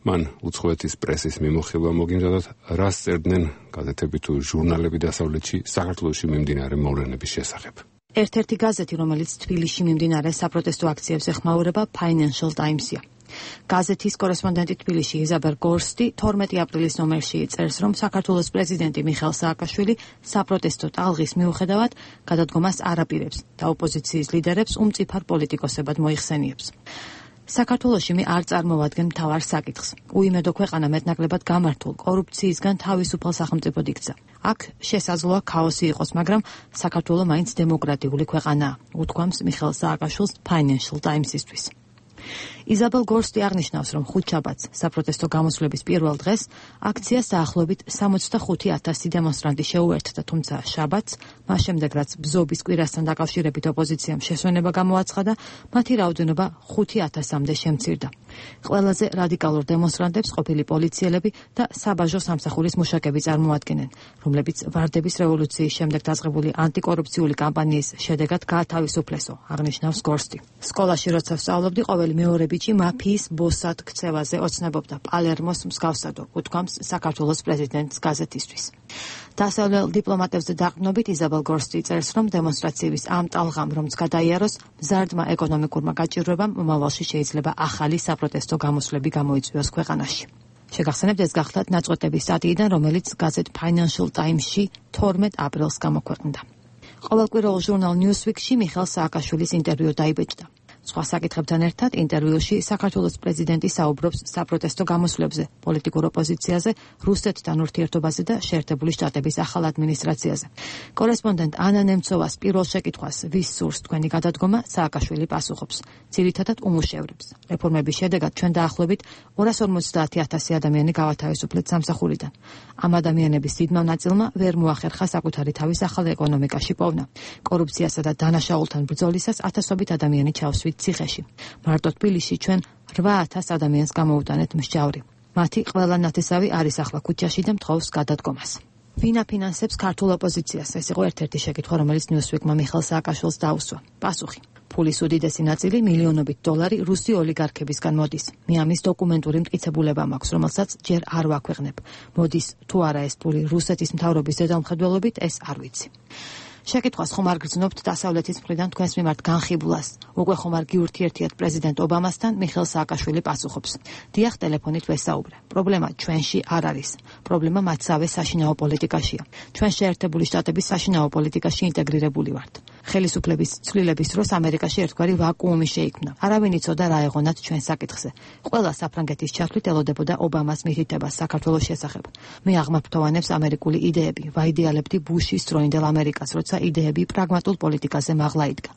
მან უცხოეთის პრესის მიმოხილვა მოგიმზადოთ, რას წერდნენ გაზეთები თუ ჟურნალები დასავლეთში საქართველოში მიმდინარე მოვლენების შესახებ. ერთ-ერთი გაზეთი, რომელიც თბილისში მიმდინარე საპროტესტო აქციებს ეხმაურება, Financial Times-ია. გაზეთის კორესპონდენტი თბილისში იზაბელ გორსტი თორმეტი აპრილის ნომერში წერს, რომ საქართველოს პრეზიდენტი მიხეილ სააკაშვილი საპროტესტო ტალღის მიუხედავად გადადგომას არ აპირებს და ოპოზიციის ლიდერებს უმწიფარ პოლიტიკოსებად მოიხსენიებს. საქართველოში მე არ წარმოვადგენ მთავარ საკითხს. უიმედო ქვეყანა მეტნაკლებად გამართულ კორუფციისგან თავისუფალ სახელმწიფოდ იქცა. აქ შესაძლოა ქაოსი იყოს, მაგრამ საქართველო მაინც დემოკრატიული ქვეყანაა, უთქვამს მიხეილ სააკაშვილს Financial Times-ისთვის. იზაბელ გორსტი აღნიშნავს, რომ ხუთშაბათს საპროტესტო გამოსვლების პირველ დღეს აქციას დაახლოებით სამოცდახუთი ათასი დემონსტრანტი შეუერთდა, თუმცა შაბათს, მას შემდეგ რაც ბზობის კვირასთან დაკავშირებით ოპოზიციამ შესვენება გამოაცხადა, მათი რაოდენობა ხუთი ათასამდე შემცირდა. ყველაზე რადიკალურ დემონსტრანტებს ყოფილი პოლიციელები და საბაჟო სამსახურის მუშაკები წარმოადგენენ, რომლებიც ვარდების რევოლუციის შემდეგ დაწყებული ანტიკორუფციული კამპანიის შედეგად გაათავისუფლესო, აღნიშნავს გორსტი. სკოლაში როცა ვსწავლობდი, ყოველი მეორე ბიჭი მაფიის ბოსად ქცევაზე ოცნებობდა პალერმოს მსგავსადო, უთქვამს საქართველოს პრეზიდენტის გაზეთისთვის. დასავლელ დიპლომატებზე დაყრდნობით იზაბელ გორსტი წერს, რომ დემონსტრაციების ამ ტალღამ რომც გადაიაროს, მზარდმა ეკონომიკურმა გაჭირვებამ მომავალში შეიძლება ახალი საპროტესტო გამოსვლები გამოიწვიოს ქვეყანაში. შეგახსენებთ, ეს გახლავთ ნაწყვეტების სტატიიდან, რომელიც გაზეთ Financial Times-ში თორმეტ აპრილს გამოქვეყნდა. ყოველკვირეულ ჟურნალ Newsweek-ში მიხეილ სააკაშვილის ინტერვიუ დაიბეჭდა. სხვა საკითხებთან ერთად ინტერვიუში საქართველოს პრეზიდენტი საუბრობს საპროტესტო გამოსვლებზე, პოლიტიკურ ოპოზიციაზე, რუსეთთან ურთიერთობაზე და შეერთებული შტატების ახალ ადმინისტრაციაზე. კორესპონდენტ ანა ნემცოვას პირველ შეკითხვას, ვის სურს თქვენი გადადგომა, სააკაშვილი პასუხობს, ძირითადად უმუშევრებს. რეფორმების შედეგად ჩვენ დაახლოებით ორას ორმოცდაათი ათასი ადამიანი გავათავისუფლეთ სამსახურიდან. ამ ადამიანების დიდმა ნაწილმა ვერ მოახერხა საკუთარი თავის ახალ ეკონომიკაში პოვნა. კორუფციასა და დანაშაულთან ბრძოლისას ათასობით ადამიანი ჩავსვით ციხეში. მარტო თბილისში ჩვენ რვა ათას ადამიანს გამოუტანეთ მსჯავრი. მათი ყველა ნათესავი არის ახლა ქუჩაში და მთხოვს გადადგომას. ვინ აფინანსებს ქართულ ოპოზიციას? ეს იყო ერთ-ერთი შეკითხვა, რომელიც Newsweek-მა მიხეილ სააკაშვილს დაუსვა. პასუხი: ფულის უდიდესი ნაწილი მილიონობით დოლარი რუსი ოლიგარქებისგან მოდის. მე ამის დოკუმენტური მტკიცებულება მაქვს, რომელსაც ჯერ არ ვაქვეყნებ. მოდის თუ არა ეს ფული რუსეთის მთავრობის ზედამხედველობით, ეს არ ვიცი. შეკითხვას ხომ არ გრძნობთ დასავლეთის მხრიდან თქვენს მიმართ განხიბვლას? უკვე ხომ არ გიურთიერთიათ პრეზიდენტ ობამასთან? მიხეილ სააკაშვილი პასუხობს: დიახ, ტელეფონით ვესაუბრე. პრობლემა ჩვენში არ არის. პრობლემა მათსავე საშინაო პოლიტიკაშია. ჩვენ შეერთებული შტატების საშინაო პოლიტიკაში ინტეგრირებული ვართ. ხელისუფლების ცვლილების დროს ამერიკაში ერთგვარი ვაკუუმი შეიქმნა. არავინ იცოდა რა ეღონათ ჩვენ საკითხზე. ყველა საფრანგეთის ჩათვლით ელოდებოდა ობამას მითითებას საქართველოს შესახებ. მე აღმაფრთოვანებს ამერიკული იდეები, ვაიდეალებდი ბუშის დროინდელ ამერიკას, როცა იდეები პრაგმატულ პოლიტიკაზე მაღლა იდგა.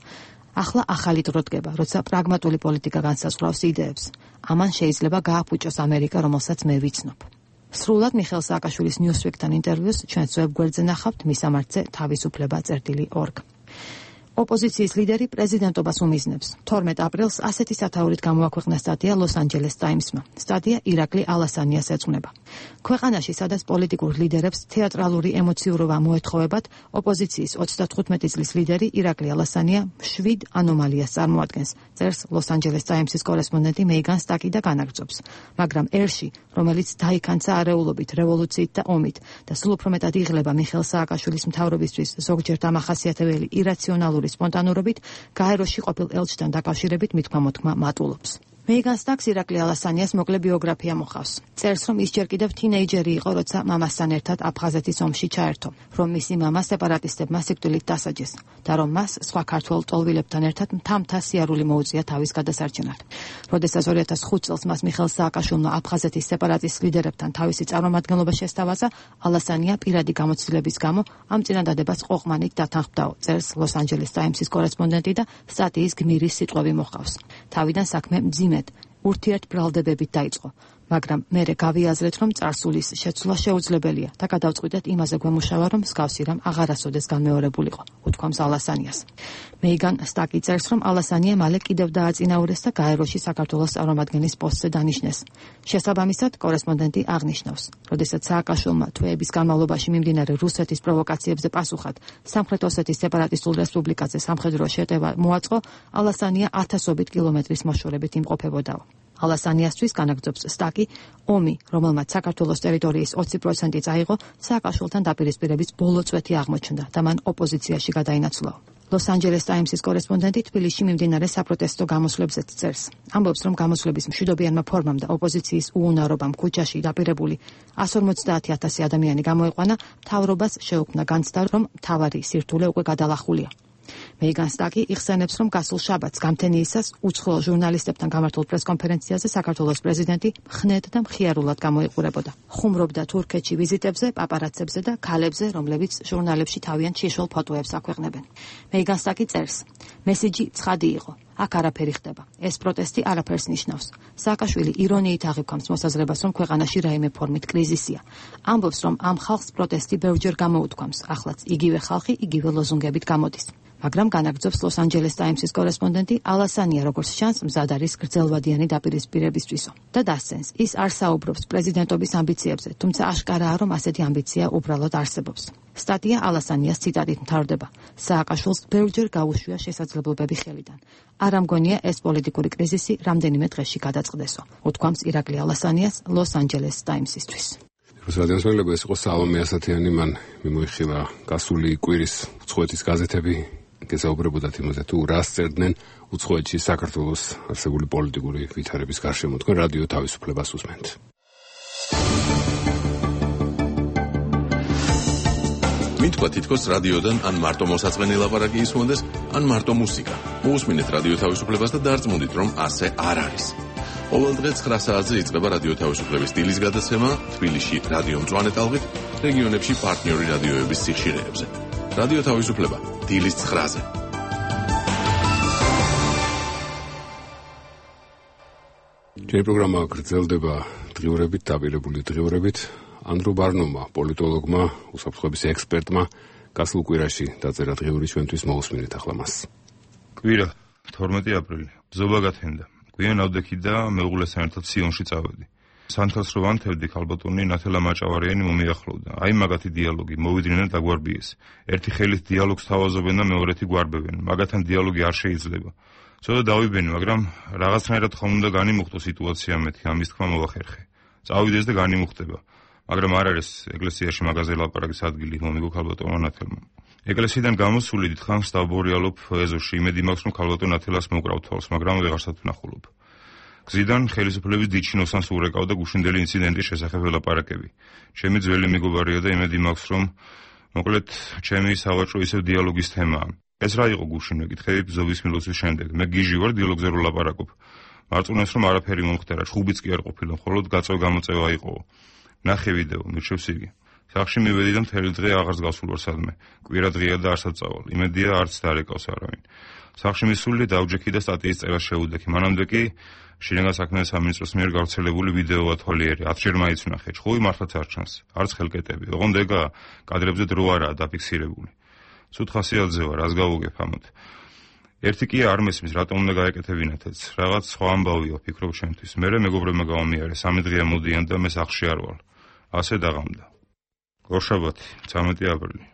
ახლა ახალი დრო დგება, როცა პრაგმატული პოლიტიკა განსაზღვრავს იდეებს. ამან შეიძლება გააფუჭოს ამერიკა, რომელსაც მე ვიცნობ. სრულად მიხეილ სააკაშვილის Newsweek-თან ინტერვიუს ჩვენს ვებგვერდზე ნახავთ, მისამართზე თავისუფლება წერტილი ორგ. ოპოზიციის ლიდერი პრეზიდენტობას უმიზნებს. თორმეტ აპრილს ასეთი სათაურით გამოაქვეყნა სტატია ლოს-ანჯელეს ტაიმსმა. სტატია ირაკლი ალასანიას ეძღვნება. ქვეყანაში, სადაც პოლიტიკურ ლიდერებს თეატრალური ემოციურობა მოეთხოვებათ, ოპოზიციის ოცდათხუთმეტი წლის ლიდერი ირაკლი ალასანია შვიდ ანომალიას წარმოადგენს, წერს ლოს-ანჯელეს ტაიმსის კორესპონდენტი მეიგან სტაკი და განაგრძობს. მაგრამ ერში, რომელიც დაიქანცა არეულობით, რევოლუციით და ომით და სულ უფრო მეტად იღლება მიხეილ სააკაშვილის მთავრობისთვის ზოგჯერ დამახასიათებელი ირაციონალური სპონტანურობით, გაეროში ყოფილ ელჩთან დაკავშირებით მithქმა-მოთქმა მატულობს. მეიგან სტაკს ირაკლი ალასანიას მოკლე ბიოგრაფია მოხავს. წერს, რომ ის ჯერ კიდევ თინეიჯერი იყო, როცა მამასთან ერთად აფხაზეთის ომში ჩაერთო, რომ მისი მამა სეპარატისტებმა სიკვდილით დასაჯეს და რომ მას სხვა ქართველ ტოლვილებთან ერთად მთა-მთა სიარული მოუწია თავის გადასარჩენად. როდესაც ორი ათას ხუთ წელს მას მიხეილ სააკაშვილმა აფხაზეთის სეპარატისტ ლიდერებთან თავისი წარმომადგენლობა შესთავაზა, ალასანია პირადი გამოცდილების გამო ამ წინადადებას ყოყმანით დათანხმდაო, წერს ლოს-ანჯელეს ტაიმსის კორესპონდენტი და სტატიის გმირის სიტყვები მოხავს. თავიდან საქმე მძიმე ურთიერთბრალდებებით დაიწყო, მაგრამ მერე გავიაზრეთ, რომ წარსულის შეცვლა შეუძლებელია და გადავწყვიტეთ იმაზე გვემუშავა, რომ მსგავსი რამ აღარასოდეს განმეორებულიყო, უთქვამს ალასანიას. მეიგან სტაკი წერს, რომ ალასანია მალე კიდევ დააწინაურეს და გაეროში საქართველოს წარმომადგენლის პოსტზე დანიშნეს. შესაბამისად, კორესპონდენტი აღნიშნავს, როდესაც სააკაშვილმა თვეების განმავლობაში მიმდინარე რუსეთის პროვოკაციებზე პასუხად სამხრეთ ოსეთის სეპარატისტულ რესპუბლიკაზე სამხედრო შეტევა მოაწყო, ალასანია ათასობით კილომეტრის მოშორებით იმყოფებოდაო. ალასანიასთვის, განაგრძობს სტაკი, ომი, რომელმაც საქართველოს ტერიტორიის ოცი პროცენტი წაიღო, სააკაშვილთან დაპირისპირების ბოლო წვეთი აღმოჩნდა და მან ოპოზიციაში გადაინაცვლა. ლოს-ანჯელეს ტაიმსის კორესპონდენტი თბილისში მიმდინარე საპროტესტო გამოსვლებზეც წერს. ამბობს, რომ გამოსვლების მშვიდობიანმა ფორმამ და ოპოზიციის უუნარობამ ქუჩაში დაპირებული ასი ორმოცდაათი ათასი ადამიანი გამოიყვანა, მთავრობას შეუქმნა განცდა, რომ მთავარი სირთულე უკვე გადალახულია. მეიგან სტაკი იხსენებს, რომ გასულ შაბათს გამთენიისას უცხოელ ჟურნალისტებთან გამართულ პრესკონფერენციაზე საქართველოს პრეზიდენტი მხნედ და მხიარულად გამოიყურებოდა. ხუმრობდა თურქეთში ვიზიტებზე, პაპარაცებზე და ქალებზე, რომლებიც ჟურნალებში თავიანთ შიშველ ფოტოებს აქვეყნებენ. მეიგან სტაკი წერს: მესიჯი ცხადი იყო. აქ არაფერი ხდება. ეს პროტესტი არაფერს ნიშნავს. სააკაშვილი ირონიით აღიქვამს მოსაზრებას, რომ ქვეყანაში რაიმე ფორმით კრიზისია. ამბობს, რომ ამ ხალხს პროტესტი ბევრჯერ გამოუთქვამს, ახლაც იგივე ხალხი იგივე ლოზუნგებით გამოდის. მაგრამ განაგრძობს ლოს-ანჯელეს ტაიმსის კორესპონდენტი ალასანია, როგორც ჩანს, მზად არის გრძელვადიანი დაპირისპირებისთვისო და დასცენს, ის არ საუბრობს პრეზიდენტობის ამბიციებზე, თუმცა აშკარაა, რომ ასეთი ამბიცია უბრალოდ არსებობს. სტატია ალასანიას ციტატით მთავრდება: სააკაშვილს ბევრჯერ გაუშვია შესაძლებლობები ხელიდან. არ ამგონია ეს პოლიტიკური კრიზისი რამდენიმე დღეში გადაწყდესო, უთქვამს ირაკლი ალასანიას ლოს-ანჯელეს ტაიმსისთვის. რუსადენსმელება ეს იყო სალომე ასათიანი, მან მიმოიხილა გასული კვირის უცხოეთის გაზეთები, გესაუბრებოდათ იმაზე, თუ რას წერდნენ უცხოეთში საქართველოს არსებული პოლიტიკური ვითარების გარშემო. თქვენ რადიო თავისუფლებას უსმენთ. მითქვა თითქოს რადიოდან ან მარტო მოსაწყენი ლაპარაკი ისმონდეს, ან მარტო მუსიკა. მოусმინეთ რადიო თავისუფლებას და დარწმუნდით, რომ ასე არ არის. ყოველ დღე ცხრა საათზე იწყება რადიო თავისუფლების დილის გადაცემა თბილისში რადიო მწვანე ტალღით, რეგიონებში პარტნიორი რადიოების სიხშირეებზე. რადიო თავისუფლება დილის ცხრაზე. ჩვენი პროგრამა გრძელდება დღიურებით, დაპირებული დღიურებით. ანდრო ბარნომა, პოლიტოლოგმა, უსაფრთხოების ექსპერტმა, გასულ კვირაში დაწერა დღიური, ჩვენთვის მოусმინეთ ახლა მას. კვირა, თორმეტი აპრილი. ბზობა გათენდა. გვიან ავდექი და მეუღლესთან ერთად სიონში წავედი. სანთელს რო ვანთევდი, ქალბატონი ნათელა მაჭავარიანი მომიახლოვდა. აი მაგათი დიალოგი, მოვიდნენ და გვარბიეს. ერთი ხელით დიალოგს თავაზობენ და მეორეთი გვარბებენ. მაგათთან დიალოგი არ შეიძლება. ცოტა დავიბენი, მაგრამ რაღაცნაირად ხომ უნდა განიმუხტო სიტუაცია მეთქი, ამის თქმა მოვახერხე. წავიდეს და განიმუხტება. მაგრამ არ არის ეკლესიაში მაღაზე ლაპარაკის ადგილი, მომიგო ქალბატონმა ნათელმა. ეკლესიიდან გამოსული დიდხანს დავბორიალობ ეზოში, იმედი მაქვს, რომ ქალბატონ ნათელას მოკრავ თვალს, მაგრამ ვეღარსად ვნახულობ. გზიდან ხელისუფლების დიჩინოსანს ურეკავ და გუშინდელი ინციდენტის შესახებ ველაპარაკები. ჩემი ძველი მეგობარია და იმედი მაქვს, რომ მოკლედ ჩემი სავაჭრო ისევ დიალოგის თემაა. ეს რა იყო გუშინ, მეკითხები ბზობის მილოცვის შემდეგ. მე გიჟი ვარ, დიალოგზე რო ლაპარაკობ. მარწუნებს რომ არაფერი მომხდარა, ხუბიც კი არ ყოფილა, მხოლოდ გაწევ-გამოწევა იყო. ნახე ვიდეო, მირჩევს იგი. სახში მივედი და მთელი დღე აღარს გავსულ ვარ სადმე. კვირა დღეა და არც წავალ. იმედია არც დარეკავს არავინ. სახში მისული დავჯექი და სტატიის წერას შევუდექი. მანამდე კი შინაგან საქმეთა სამინისტროს მიერ გავრცელებული ვიდეო ათვალიერი ათჯერ მაინც ვნახე. ჭხუი მართლაც არ ჩანს. არც ხელკეტები. ოღონდ ეგა კადრებზე დრო არაა დაფიქსირებული. ცუდ ხასიათზე ვარ, რას გავუგებ ამოთ. ერთი კი არ მესმის, რატომ უნდა გაეკეთებინათაც. რაღაც სხვა ამბავია, ფიქრობ ჩემთვის. მერე მეგობრებმა გავამიარე, სამი დღეა მოდიან და მე სახში არ ვარ. ასე დაღამდა. გორშაბათი, ცამეტი აპრილი.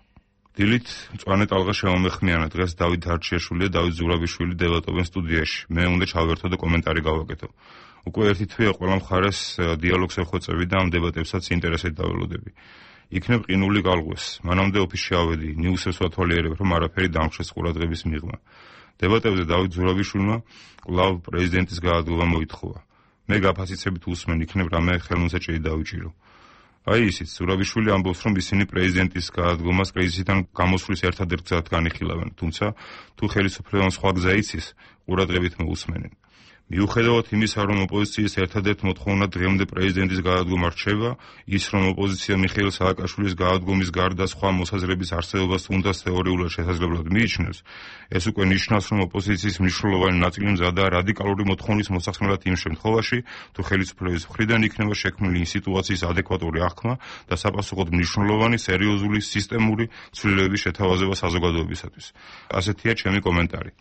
დილით მწვანე ტალღა შემომეხმიანა. დღეს დავით დარჩიაშვილი და დავით ზურაბიშვილი დებატობენ სტუდიაში. მე უნდა ჩავერთო და კომენტარი გავაკეთო. უკვე ერთი თვეა ყველა მხარეს დიალოგს ეხვეწები და ამ დებატებსაც ინტერესით დაველოდები. იქნებ ყინული გალღვეს. მანამდე ოფისში ავედი, ნიუსებს ვათვალიერებ, რომ არაფერი დამხშეს ყურადღების მიღმა. დებატებზე დავით ზურაბიშვილმა კვლავ პრეზიდენტის გაადგომა მოითხოვა. მე გაფასიცებით უსმენ, იქნებ რამე ხელმოსაჭრელი დავიჭირო. აი ისიც ზურაბიშვილი ამბობს, რომ ისინი პრეზიდენტის გაადგომას კრიზისიდან გამოსვლის ერთადერთ გზად განიხილავენ, თუმცა თუ ხელისუფლებამ სხვა გზა იცის, ყურადღებით მოусმენენ. მიუხედავად იმისა, რომ ოპოზიციის ერთადერთ მოთხოვნა დღემდე პრეზიდენტის გაადგომა რჩება, ის რომ ოპოზიცია მიხეილ სააკაშვილის გაადგომის გარდა სხვა მოსაზრების არსებობას თუნდაც თეორიულად შესაძლებლად მიიჩნევს, ეს უკვე ნიშნავს, რომ ოპოზიციის მნიშვნელოვანი ნაწილი მზადაა რადიკალური მოთხოვნის მოსახსნელად იმ შემთხვევაში, თუ ხელისუფლების მხრიდან იქნება შექმნილი იმ სიტუაციის ადეკვატური აღქმა და საპასუხოდ მნიშვნელოვანი სერიოზული სისტემური ცვლილებების შეთავაზება საზოგადოებისათვის. ასეთია ჩემი კომენტარი.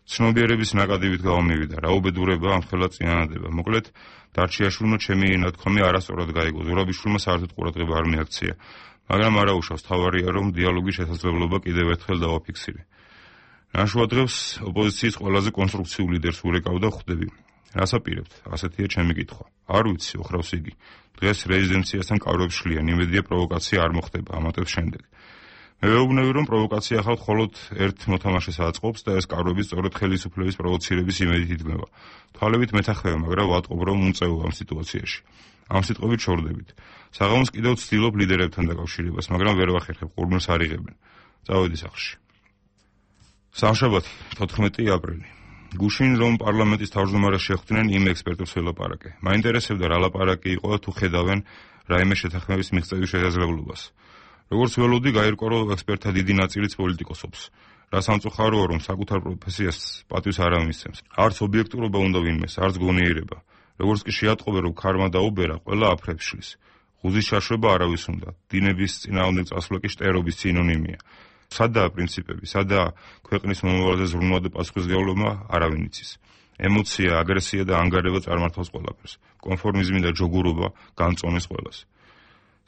ცნობიერების ნაკადივით გავამივიდა, რა უბედურება ამ ხელა წინანადება. მოკლედ, დარჩიაშვილმა ჩემი ნათქვამი არასწორად გაიგო. ზურაბიშვილმა საერთოდ ყურადღება არ მიაქცია, მაგრამ არაუშავს, თავარია, რომ დიალოგის შესაძლებლობა კიდევ ერთხელ დავაფიქსირე. ნაშვადღებს ოპოზიციის ყველაზე კონსტრუქციულ ლიდერს ურეკავ და ხვდები. რას აპირებთ? ასეთია ჩემი კითხვა. არ ვიცი, ოხრავს იგი. დღეს რეზიდენციასთან კავრებს შლიან, იმედია პროვოკაცია არ მოხდება ამატებს შემდეგ. მე ვეუბნები, რომ პროვოკაცია ახალ მხოლოდ ერთ მოთამაშეს აწყობს და ეს კავრები სწორედ ხელისუფლების პროვოცირების იმედით იდგმება. თვალებით მეთანხმება, მაგრამ ვატყობ, რომ უმწევა ამ სიტუაციაში. ამ სიტყვებით შორდებით. საღამოს კიდევ ვცდილობ ლიდერებთან დაკავშირებას, მაგრამ ვერ ვახერხებ, ყურმილს არ იღებენ. წავედი სახლში. სამშაბათი, თოთხმეტი აპრილი. გუშინ რომ პარლამენტის თავმჯდომარეს შეხვდნენ, იმ ექსპერტებს ველაპარაკე. მაინტერესებდა რა ლაპარაკი იყო და თუ ხედავენ რაიმე შეთანხმების მიღწევის შესაძლებლობას. როგორც ველოდი, გაირკვა, რომ ექსპერტთა დიდი ნაწილიც პოლიტიკოსობს. რა სამწუხაროა, რომ საკუთარ პროფესიას პატვის არ ამისცემს. არც ობიექტურობა უნდა ვინმეს, არც გონიერება. როგორც კი შეატყობენ, რომ ქარმა დაუბერა, ყველა აფრებს შლის. ღუზის შაშვება არავის უნდა. დინების წინააღმდეგ წასვლა კი შტერობის სინონიმია. სადაა პრინციპები, სადაა ქვეყნის მომავალზე ზრუნვა და პასუხისმგებლობა, არავინ იცის. ემოცია, აგრესია და ანგარება წარმართავს ყველაფერს. კონფორმიზმი და ჯოგურობა განწონეს ყველას.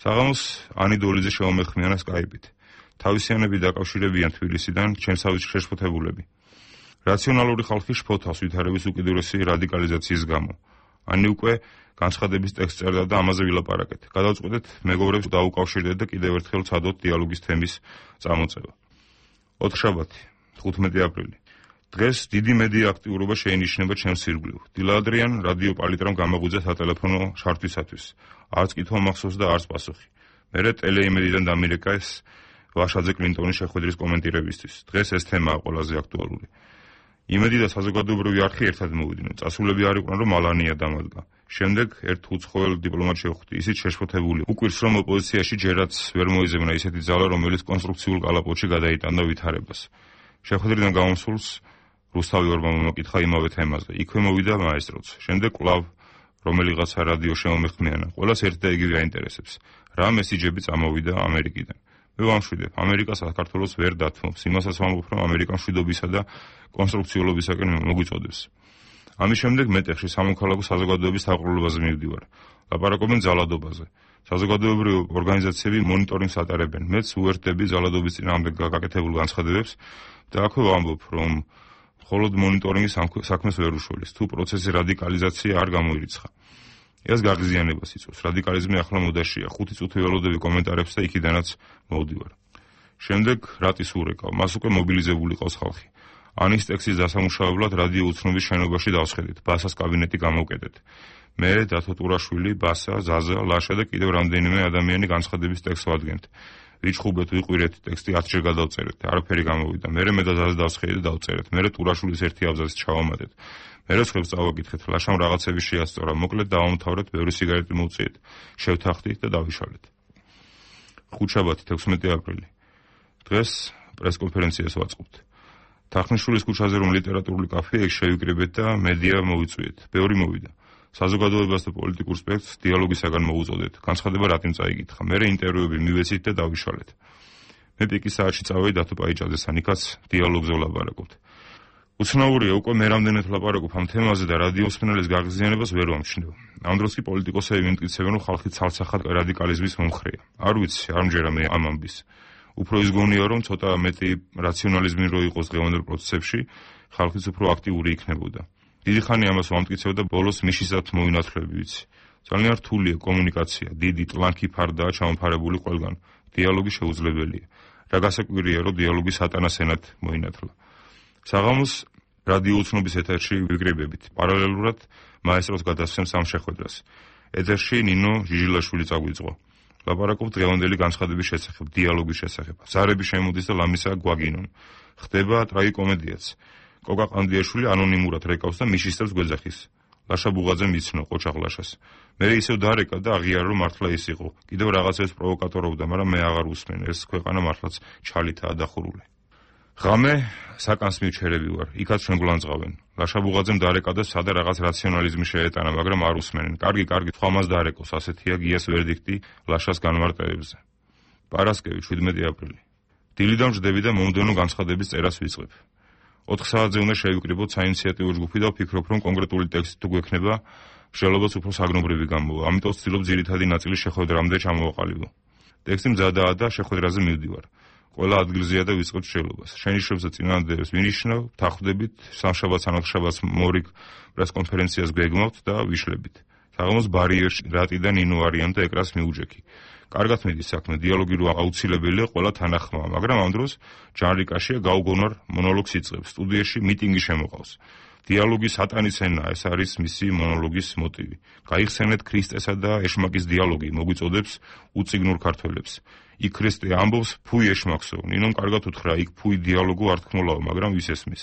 საღამოს ანი დოლიძე შემომეხმიანა სკაიპით. თავისიანები დაკავშირებიან თბილისიდან ჩემსავით შეშფოთებულები. რაციონალური ხალხი შფოთავს ვითარების უკიდურესი რადიკალიზაციის გამო. ანი უკვე განცხადების ტექსტს წერდა და ამაზე ვილაპარაკეთ. გადავწყვეტეთ მეგობრებს დაუკავშირდეთ და კიდევ ერთხელ ვცადოთ დიალოგის თემის წამოწევა. ოთხშაბათი, თხუთმეტი აპრილი. დღეს დიდი მედია აქტიურობა შეინიშნება ჩემს ირგვლივ. დილადრიან რადიო პალიტრამ გამაღვიძა სატელეფონო შართვისათვის. არც კითხვა მახსოვს და არც პასუხი. მერე ტელეიმედიდან დამირეკა ეს ვაშაძე კლინტონის შეხვედრის კომენტირებისთვის. დღეს ეს თემაა ყველაზე აქტუალური. იმედი და საზოგადოებრივი არხი ერთად მოვიდნენ. წასულები არ იყვნენ, რომ ალანია დამადგა. შემდეგ ერთ უცხოელ დიპლომატს შევხვდი, ისიც შეშფოთებული. უკვირს, რომ ოპოზიციაში ჯერაც ვერ მოიზებნა ისეთი ძალა, რომელიც კონსტრუქციულ კალაპოტში გადაიტანდა ვითარებას. შეხვედრიდან გამოსულს რუსთავი ორბანმა მოკითხა იმავე თემაზე. იქვე მოვიდა მაესტროც. შემდეგ კვლავ რომელიღაცა რადიო შემომეხმიანა. ყველას ერთ და იგივე აინტერესებს. რა მესიჯები წამოვიდა ამერიკიდან. მე ვამშვიდებ, ამერიკა საქართველოს ვერ დათმობს. იმასაც ვამბობ, რომ ამერიკა მშვიდობისა და კონსტრუქციულობისაკენ მოგვიწოდებს. ამის შემდეგ მეტეხში სამოქალაქო საზოგადოების დაყრდნობაზე მივდივარ. ლაპარაკობენ ძალადობაზე. საზოგადოებრივი ორგანიზაციები მონიტორინგს ატარებენ. მეც უერთდები ძალადობის წინააღმდეგ გაკეთებულ განცხადებებს და აქვე ვამბობ, რომ მხოლოდ მონიტორინგის საქმეს ვერ უშველის, თუ პროცესის რადიკალიზაცია არ გამოირიცხა. ეს გაღიზიანებას იწვევს. რადიკალიზმი ახლა მოდაშია. ხუთი წუთი ველოდები კომენტარებს და იქიდანაც მოვდივარ. შემდეგ რატის ურეკავ, მას უკვე მობილიზებული ყავს ხალხი. ანის ტექსტის დასამუშავებლად რადიო უცნობის შენობაში დავსხედით, ბასას კაბინეტი გამოვკეტეთ. მე, დათო ტურაშვილი, ბასა, ზაზა, ლაშა და კიდევ რამდენიმე ადამიანი განცხადების ტექსტს ვადგენთ. ვიჩხუბეთ, ვიყვირეთ, ტექსტი ათჯერ გადავწერეთ, არაფერი გამოვიდა. მე მე და ზაზა დავსხედით და დავწერეთ. მე ტურაშვილის ერთი აბზაცი ჩავამატეთ. მე სხვებს წავაკითხეთ, ლაშამ რაღაცები შეასწორა, მოკლედ დავამთავრეთ, ბევრი სიგარეტი მოვწიეთ, შევთანხმდით და დავიშალეთ. ხუთშაბათი, თექვსმეტი აპრილი. დღეს პრესკონფერენციას ვაწყობთ. თახნიშვილის ქუჩაზე რომ ლიტერატურული კაფე ეგ შევიკრიბეთ და მედია მოვიწვიეთ. ბევრი მოვიდა. საზოგადოებას და პოლიტიკურ სპექტრს დიალოგისაგან მოუწოდეთ. განცხადება რატომ წაიკითხა. მე ინტერვიუები მივეცით და დავიშალეთ. მე პიკის საათში წავედი დათო პაიჭაძესთან, იქაც დიალოგზე ვლაპარაკობთ. უცნაურია, უკვე მე რამდენად ვლაპარაკობ ამ თემაზე და რადიო მსმენელის გაღიზიანებას ვერ ვამჩნევ. ამ დროს კი პოლიტიკოსები მიმტკიცებენ, რომ ხალხი ცალსახად რადიკალიზმის მომხრეა. არ ვიცი, არ მჯერა მე ამ ამბის. უფრო ის გონია, რომ ცოტა მეტი რაციონალიზმი რო იყოს დღევანდელ პროცესებში, ხალხიც უფრო აქტიური იქნებოდა. დიდი ხანი ამას ვამტკიცებ და ბოლოს მიშისად მოვინათლები ვიცი. ძალიან რთულია კომუნიკაცია, დიდი ტლანქი ფარდაა ჩამოფარებული ყველგან. დიალოგი შეუძლებელია. რა გასაკვირია, რომ დიალოგი სატანას ენად მოინათლა. საღამოს რადიო უცნობის ეთერში ვიგრებებით. პარალელურად მაესტროს გადასცემს ამ შეხვედრას. ეთერში ნინო ჟიჟილაშვილი წაგვიწყო. ლაპარაკობ დღევანდელი განცხადების შესახებ, დიალოგის შესახებ. ზარები შემოდის და ლამისა გვაგინონ. ხდება ტრაგიკომედიაც. კოკა ყანდიაშვილი ანონიმურად რეკავს და მიშისებს გვეძახის. ლაშა ბუღაძე მიცნო ყოჩაღ ლაშას. მე ისევ დარეკა და აღიარა რომ მართლა ის იყო. კიდევ რაღაცებს პროვოკატორობდა, მაგრამ მე აღარ უსმენ. ეს ქვეყანა მართლაც ჩალითაა დახურული. ღამე საკანს მივჩერები ვარ. იქაც ჩვენ გულანძღავენ. ლაშა ბუღაძემ დარეკა და სადა რაღაც რაციონალიზმი შეეტანა, მაგრამ არ უსმენენ. კარგი, კარგი, სხვამას დარეკოს, ასეთია გიას ვერდიქტი ლაშას განმარტებებზე. პარასკევი, შვიდმეტი აპრილი. დილიდან ვждები და მომდევნო განცხადების წერას ვიწყებ. ოთხ საათზე უნდა შევიკრიბოთ საინიციატივო ჯგუფი და ვფიქრობ, რომ კონკრეტული ტექსტი თუ გვექნება, მსჯელობაც უფრო საგნობრივი გამოვა. ამიტომ ვცდილობ ძირითადი ნაწილი შეხვედრამდე ჩამოვაყალიბო. ტექსტი მზადაა და შეხვედრაზე მივდივარ. ყველა ადგილზეა და ვიწყებთ შევლობას. შენიშვნებს და წინადადებას ვინიშნავ, ვთანხმდებით, სამშაბათს ან ოთხშაბათს მორიგ პრესკონფერენციას გვეგმავთ და ვიშლებით. საღამოს ბარიერში რატი და ნინო არიან და ეკრას მიუჯექი. კარგად მიდის საქმე, დიალოგი რო აუცილებელია, ყველა თანახმაა, მაგრამ ამ დროს ჯანრიკაშია გაუგონარ მონოლოგს იწყებს, სტუდიაში მიტინგი შემოყავს. დიალოგი სატანის ენაა, ეს არის მისი მონოლოგის მოტივი. გაიხსენეთ ქრისტესა და ეშმაკის დიალოგი, მოგვიწოდებს უციგნურ ქართველებს. იქ ქრისტე ამბობს, ფუი ეშმაკსო, ნინომ კარგად უთხრა, იქ ფუი დიალოგო არტქმულაო, მაგრამ ვის ესმის.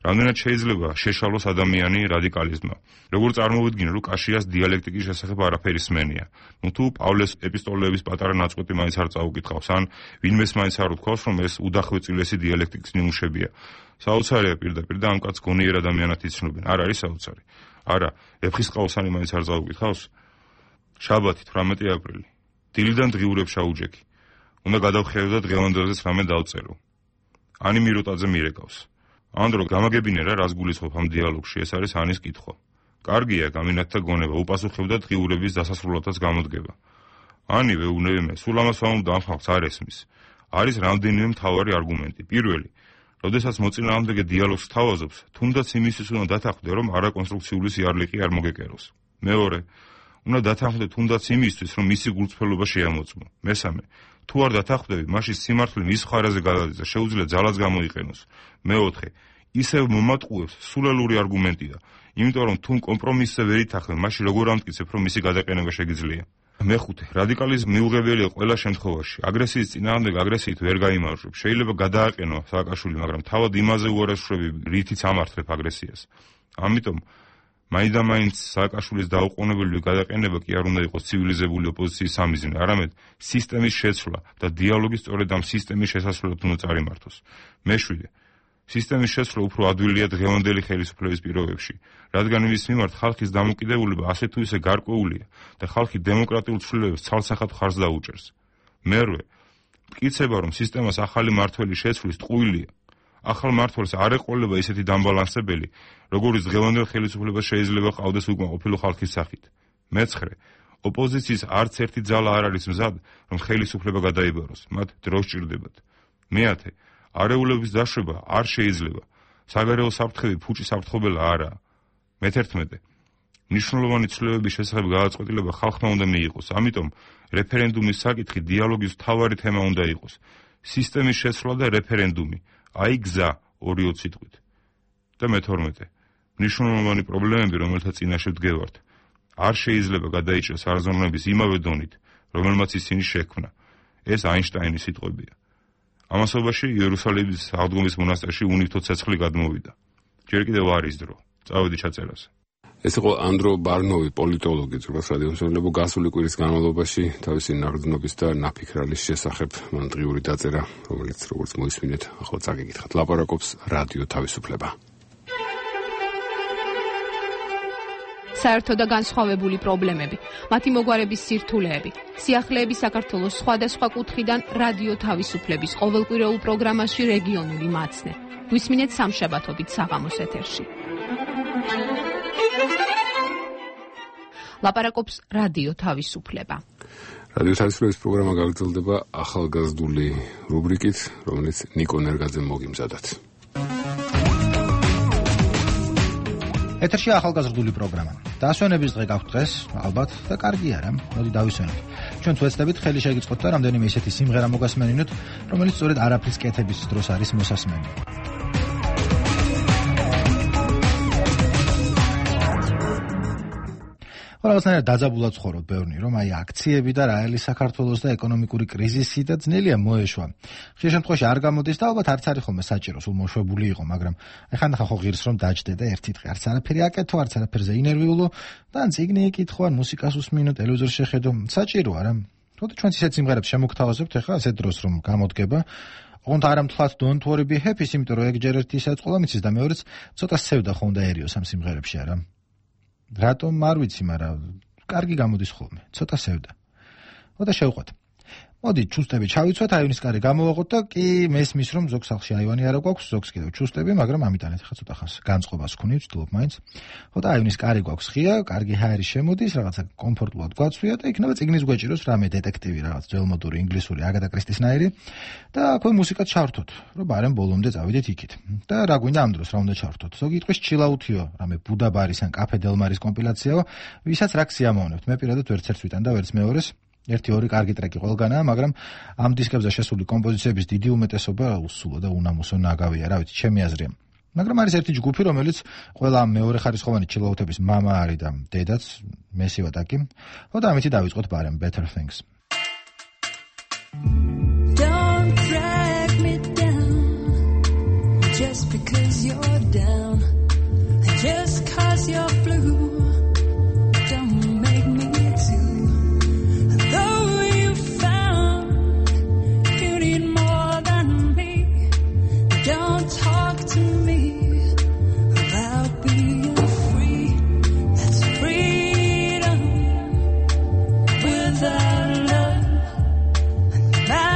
რამდენად შეიძლება შეშალოს ადამიანი რადიკალიზმმა. როგორ წარმოვიდგინე, რომ კაშიას დიალექტიკის შესახებ არაფერი სმენია. ნუ თუ პავლეს ეპისტოლეების პატარა ნაწყვეტი მაინც არ წაუკითხავს, ან ვინმეს მაინც არ უთქვავს, რომ ეს udახვეწილესი დიალექტიკის ნიმუშებია. საოცარია პირდაპირ და ამ კაცს გონიერ ადამიანად იცნობენ. არ არის საოცარი. არა, ეფხისტყაოსანი მაინც არ წაუკითხავს. შაბათი, თვრამეტი აპრილი. დილიდან დღიურებ შაუჯექი. უნდა გადავხედო და დღევანდელზეც რამე დავწერო. ანი მირუტაძე მირეკავს. ანდრო გამაგებინე რა რას გულისხმობ ამ დიალოგში, ეს არის ანის კითხვა. კარგია გამინათთა გონება, უპასუხებდა დღიურების დასასრულადაც გამოდგება. ანი ვეუბნებიმე, სულ ამას ვამბობ და ამ ხალხს არ ესმის. არის რამდენიმე მთავარი არგუმენტი. პირველი, როდესაც მოწინააღმდეგე დიალოგს თავაზობს, თუნდაც იმისთვის უნდა დათანხმდე, რომ არაკონსტრუქციული სიარლიყი არ მოგეკეროს. მეორე, უნდა დათანხმდე თუნდაც იმისთვის, რომ მისი გულწრფელობა შეამოწმო. მესამე, თუ არ დათანხმდები, მაშინ სიმართლე მის ხარაზე გადადის და შეუძლია ძალაც გამოიყენოს. მეოთხე, ისევ მომატყუებს სულელური არგუმენტია, იმიტომ რომ თუ კომპრომისზე ვერ ითანხმებ, მაშინ როგორ ამტკიცებ, რომ მისი გადაყენება შეგიძლია. მეხუთე, რადიკალიზმი მიუღებელია ყველა შემთხვევაში. აგრესიის წინააღმდეგ აგრესიით ვერ გაიმარჯვებ. შეიძლება გადააყენო სააკაშვილი, მაგრამ თავად იმაზე უარესურები, რითიც ამართლებ აგრესიას. ამიტომ მაინდამაინც სააკაშვილის დაუყოვნებელი გადაყენება კი არ უნდა იყოს ცივილიზებული ოპოზიციის სამიზნე, არამედ სისტემის შეცვლა და დიალოგი სწორედ ამ სისტემის შესასვლელად უნდა წარიმართოს. მეშვიდე, სისტემის შეცვლა უფრო ადვილია დღევანდელი ხელისუფლების პირობებში, რადგან იმის მიმართ ხალხის დამოკიდებულება ასე თუ ისე გარკვეულია და ხალხი დემოკრატიულ ცვლილებებს ცალსახად ხარს დაუჭერს. მერვე, მტკიცება, რომ სისტემას ახალი მმართველი შეცვლის ტყუილია. ახალ მმართველს არ ეყოლება ისეთი დამბალანსებელი, როგორიც დღევანდელ ხელისუფლებას შეიძლება ყავდეს უკმაყოფილო ხალხის სახით. მეცხრე, ოპოზიციის არც ერთი ძალა არ არის მზად, რომ ხელისუფლება გადაიბაროს, მათ დრო სჭირდებათ. მეათე, არეულობის დაშვება არ შეიძლება. საგარეო საფრთხები ფუჭი საფრთხობელა არაა. მეთერთმეტე, მნიშვნელოვანი ცვლილებების შესახებ გადაწყვეტილება ხალხმა უნდა მიიღოს, ამიტომ რეფერენდუმის საკითხი დიალოგის მთავარი თემა უნდა იყოს. სისტემის შეცვლა და რეფერენდუმი, აი გზა ორი სიტყვით. და მეთორმეტე, მნიშვნელოვანი პრობლემები, რომელთა წინაშე ვდგევართ, არ შეიძლება გადაიჭრას არაზომნების იმავე დონით, რომელმაც ისინი შექმნა. ეს აინშტაინის სიტყვებია. ამასობაში იერუსალიმის აღდგომის მონასტერში უნივთო ცეცხლი გადმოვიდა. ჯერ კიდევ არის დრო. წავედი ჩაწერაზე. ეს იყო ანდრო ბარნოვი, პოლიტოლოგი, ძროხას რადიომსმენელებო, გასული კვირის განმავლობაში თავისი ნაღდნობის და ნაფიქრალის შესახებ მან დღიური დაწერა, რომელიც როგორც მოისმინეთ, ახლა წაგიკითხათ. ლაპარაკობს რადიო თავისუფლება. საერთო და განსხვავებული პრობლემები, მათი მოგვარების სირთულეები, სიახლეები საქართველოს სხვადასხვა კუთხიდან რადიო თავისუფლების ყოველკვირეულ პროგრამაში რეგიონული მაცნე. გვისმინეთ სამშაბათობით საღამოს ეთერში. ლაპარაკობს რადიო თავისუფლება. რადიო თავისუფლების პროგრამა გაგრძელდება ახალგაზრდული რუბრიკით, რომელიც ნიკო ნერგაძემ მოგიმზადათ. ეთერში ახალგაზრდული პროგრამა. დაასვენების დღე გაქვთ დღეს, ალბათ და კარგი არა, მოდი დავისვენოთ. ჩვენ ვეცდებით ხელი შეგიწყოთ და რამდენიმე ისეთი სიმღერა მოგასმენინოთ, რომელიც სწორედ არაფრის კეთების დროს არის მოსასმენი. ყველასნაირად დაძაბულად ცხოვრობ ბევრნი, რომ აი აქციები და რაელი საქართველოს და ეკონომიკური კრიზისი და ძნელია მოეშვა. ხშირ შემთხვევაში არ გამოდის და ალბათ არც არის ხოლმე საჭირო, სულ მოშვებული იყო, მაგრამ აი ხანდახან ხო ღირს რომ დაჯდე და ერთი დღე არც არაფერი აკეთო, არც არაფერზე ინერვიულო და ან წიგნი იკითხო, ან მუსიკას უსმინო, ტელევიზორს შეხედო, საჭიროა რა. თუმცა ჩვენც ისეთ სიმღერებს შემოგთავაზებთ ახლა ასეთ დროს რომ გამოდგება. ოღონდ არ ამთვლად don't worry be happy, იმიტომ რომ ეგ ჯერ ერთი ისაც ყოლა მიცის და მეორეც ცოტა სევდა ხო უნდაერიოს ამ სიმღერებში არა. რატომ არ ვიცი, მაგრამ კარგი გამოდის ხოლმე, ცოტა სევდა. მოდი შევყვეთ. მოდი ჩუსტები ჩავიცვათ, აივნის კარი გამოვაღოთ და კი მესმის რომ ზოგ სახლში აივანი არა გვაქვს, ზოგს კიდევ ჩუსტები, მაგრამ ამიტანეთ ხა ცოტა ხანს განწყობას ვქონი, ვცდილობ მაინც. ხოდა აივნის კარი გვაქვს ღია, კარგი ჰაერი შემოდის, რაღაცა კომფორტულად გვაცვია და იქნება წიგნის გვეჭიროს რამე დეტექტივი, რაღაც ძველმოდური ინგლისური აგატა კრისტისნაირი და აქვე მუსიკა ჩავრთოთ, რომ ბარემ ბოლომდე წავიდეთ იქით. და რა გვინდა ამ დროს რა უნდა ჩავრთოთ? ზოგი იტყვის ჩილაუთიო, რამე ბუდა ბარის ან კაფე დელმარის კომპილაციაო, ვისაც რა ქსიამოვნებთ. მე პირადად ვერც ერთს ვიტან და ვერც მეორეს. ერთი ორი კარგი ტრეკი ყველგანაა, მაგრამ ამ დისკებზე შესული კომპოზიციების დიდი უმეტესობა უსულო და უნამუსო ნაგავია, რა ვიცი, ჩემი აზრია. მაგრამ არის ერთი ჯგუფი, რომელიც ყველა მეორე ხარისხოვანი ჩილაუთების მამა არის და დედაც, მესივადაკი. ხოდა ამითი დავიწყოთ ბარემ Better Things. Don't drag me down just because you're down and just cause you're blue. Bye.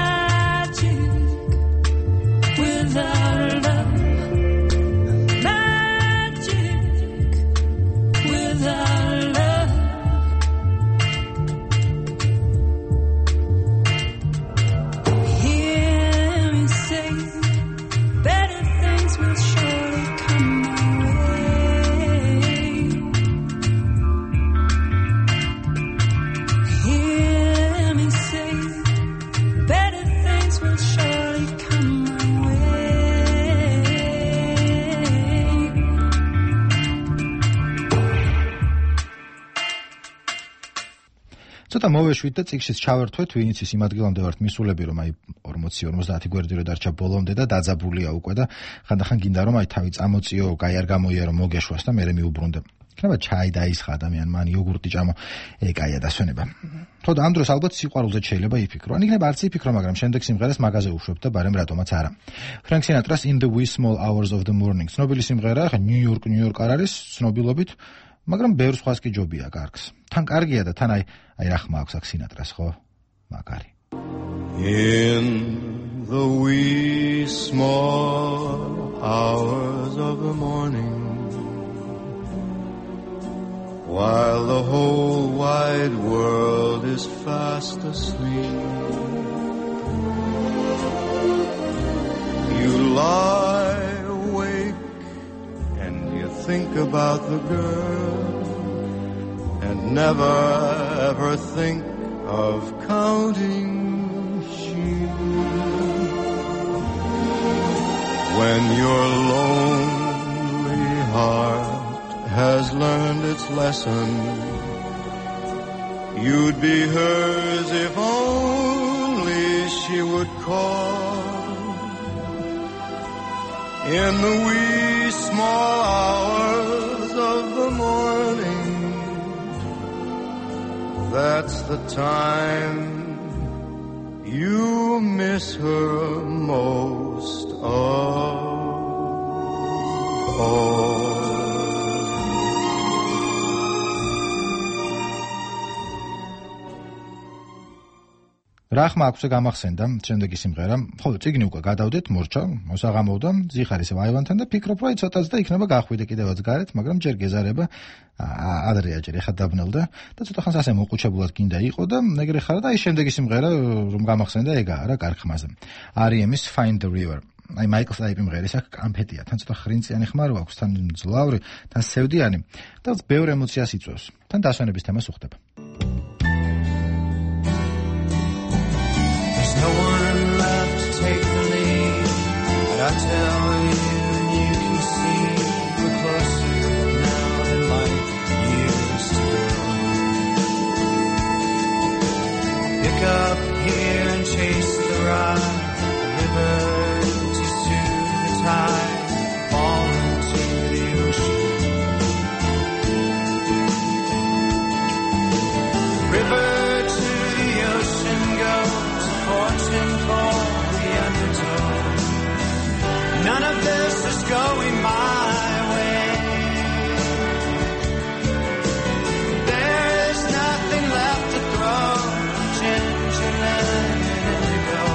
ცოტა მოვეშვით და წიგნშიც ჩავერთვეთ, ვინც ის იმ ადგილამდე ვართ მისულები, რომ აი ორმოცი ორმოცდაათი გვერდი რო დარჩა ბოლომდე და დაძაბულია უკვე და ხანდახან გინდა რომ აი თავი წამოწიო, კაი არ გამოიარო, მოგეშვას და მერე მიუბრუნდე. იქნება ჩაი დაისხა ადამიანმა, ან იოგურტი ჭამო, ეკაია დასვენება. თორე ამ დროს ალბათ სიყვარულზე შეიძლება იფიქრო. ან იქნება არც იფიქრო, მაგრამ შემდეგ სიმღერას მაგაზე უშვებ და ბარემ რატომაც არა. Frank Sinatra-ს In the Wee Small Hours of the Morning. ცნობილი სიმღერა, ხა ნიუ-იორკ, ნიუ-იორკ არ არის ცნობილობით, მაგრამ ბევრ სხვას კი ჯობია კარგს. თან კარგია და თან აი აი რა ხმა აქვს აქ Sinatra-ს, ხო? მაგარი. In the wee small hours of the morning, while the whole wide world is fast asleep, you lie awake and you think about the girl and never ever think of counting sheep. When your lonely heart has learned its lesson, you'd be hers if only she would call. In the wee small hours of the morning, that's the time you miss her most of all. რა ხმა აქვსე გამახსენდა შემდეგი სიმღერა. ხო, წიგნი უკვე გადავდეთ, მორჩა, მოსაღამოვდა, ზიხარის ვაივანთან და ფიქრობ, რომ ცოტაც და იქნება გახვიდე კიდევაც გარეთ, მაგრამ ჯერ გეზარება ადრეა ჯერ ეხა დაბნელდა და ცოტა ხანს ასე მოყუჩებულად გინდა იყო და ეგრე ხარა და აი შემდეგი სიმღერა რომ გამახსენდა ეგაა რა კარგ ხმაზე. არ ი ემის Find the River. აი მაიკლ სტაიპი მღერის აქ კამფეტია, თან ცოტა ხრინწიანი ხმა რო აქვს, თან ძლავრი, თან სევდიანი და ბევრ ემოციას იწვევს. თან დასვენების თემას უხდება. No one left to take the lead, but I tell you and you can see we're closer now than life used to be. Pick up here and chase the ride, the river to soothe the tide, fall into the ocean. The river to the ocean goes, fortune for the undertow. None of this is going my way. There is nothing left to throw. Ginger, lemon, and indigo,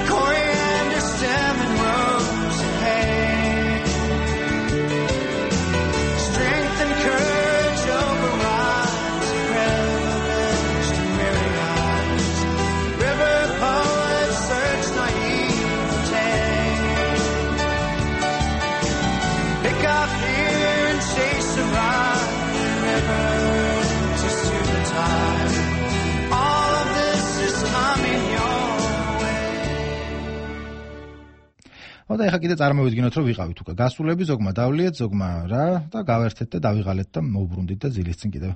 coriander, stem, and rose and hay. Strength and courage overrides privilege and weary eyes. River poets search naivete. Pick up here and chase a ride, river to soothe the tide. All of this is coming your way. ოდა ეხა კიდე წარმოვიდგინოთ, რომ ვიყავით უკვე გასულები, ზოგმა დავლიეთ, ზოგმა რა და გავერთეთ და დავიღალეთ და მოვბრუნდით და ძილის წინ კიდევ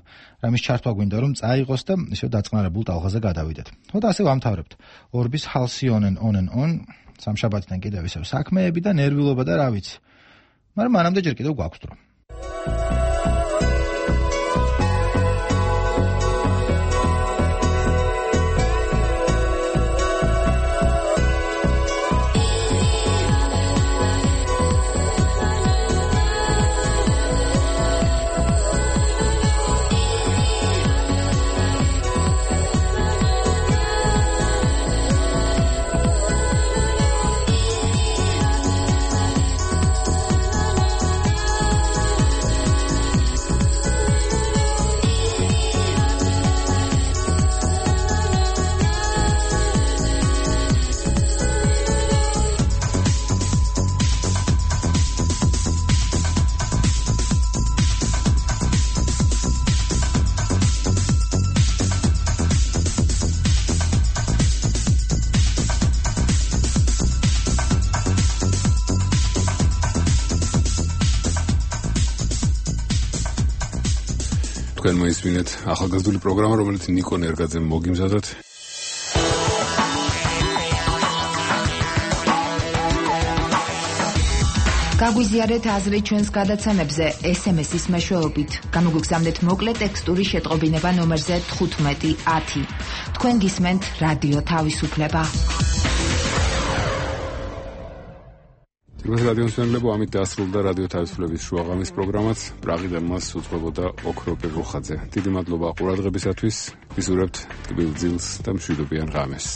რამის ჩართვა გვინდა რომ წაიღოს და ისევ დაწყნარებულ ტალღაზე გადავიდეთ. ოდა ასე ვამთავრებთ. ორბის Halcyon and on and on, სამშაბათიდან კიდევ ისევ საქმეები და ნერვიულობა და რა ვიცი. მაგრამ მანამდე ჯერ კიდევ გვაქვს დრო. თქვენ მოისმინეთ ახალგაზრდული პროგრამა, რომელიც ნიკო ნერგაძემ მოგიმზადოთ. გაგვიზიარეთ აზრი ჩვენს გადაცემებზე ეს ემ ეს-ის მეშვეობით. გამოგვიგზავნეთ მოკლე ტექსტური შეტყობინება ნომერზე თხუთმეტი ათი. თქვენ გისმენთ რადიო თავისუფლება. თითქოს რადიო მსმენელებო, ამით დასრულდა რადიო თავისუფლების შუაღამის პროგრამაც. პრაღიდან მას უძღვებოდა ოქრო პეტროხაძე. დიდი მადლობა ყურადღებისათვის. ვისურვებთ ტკბილ ძილს და მშვიდობიან ღამეს.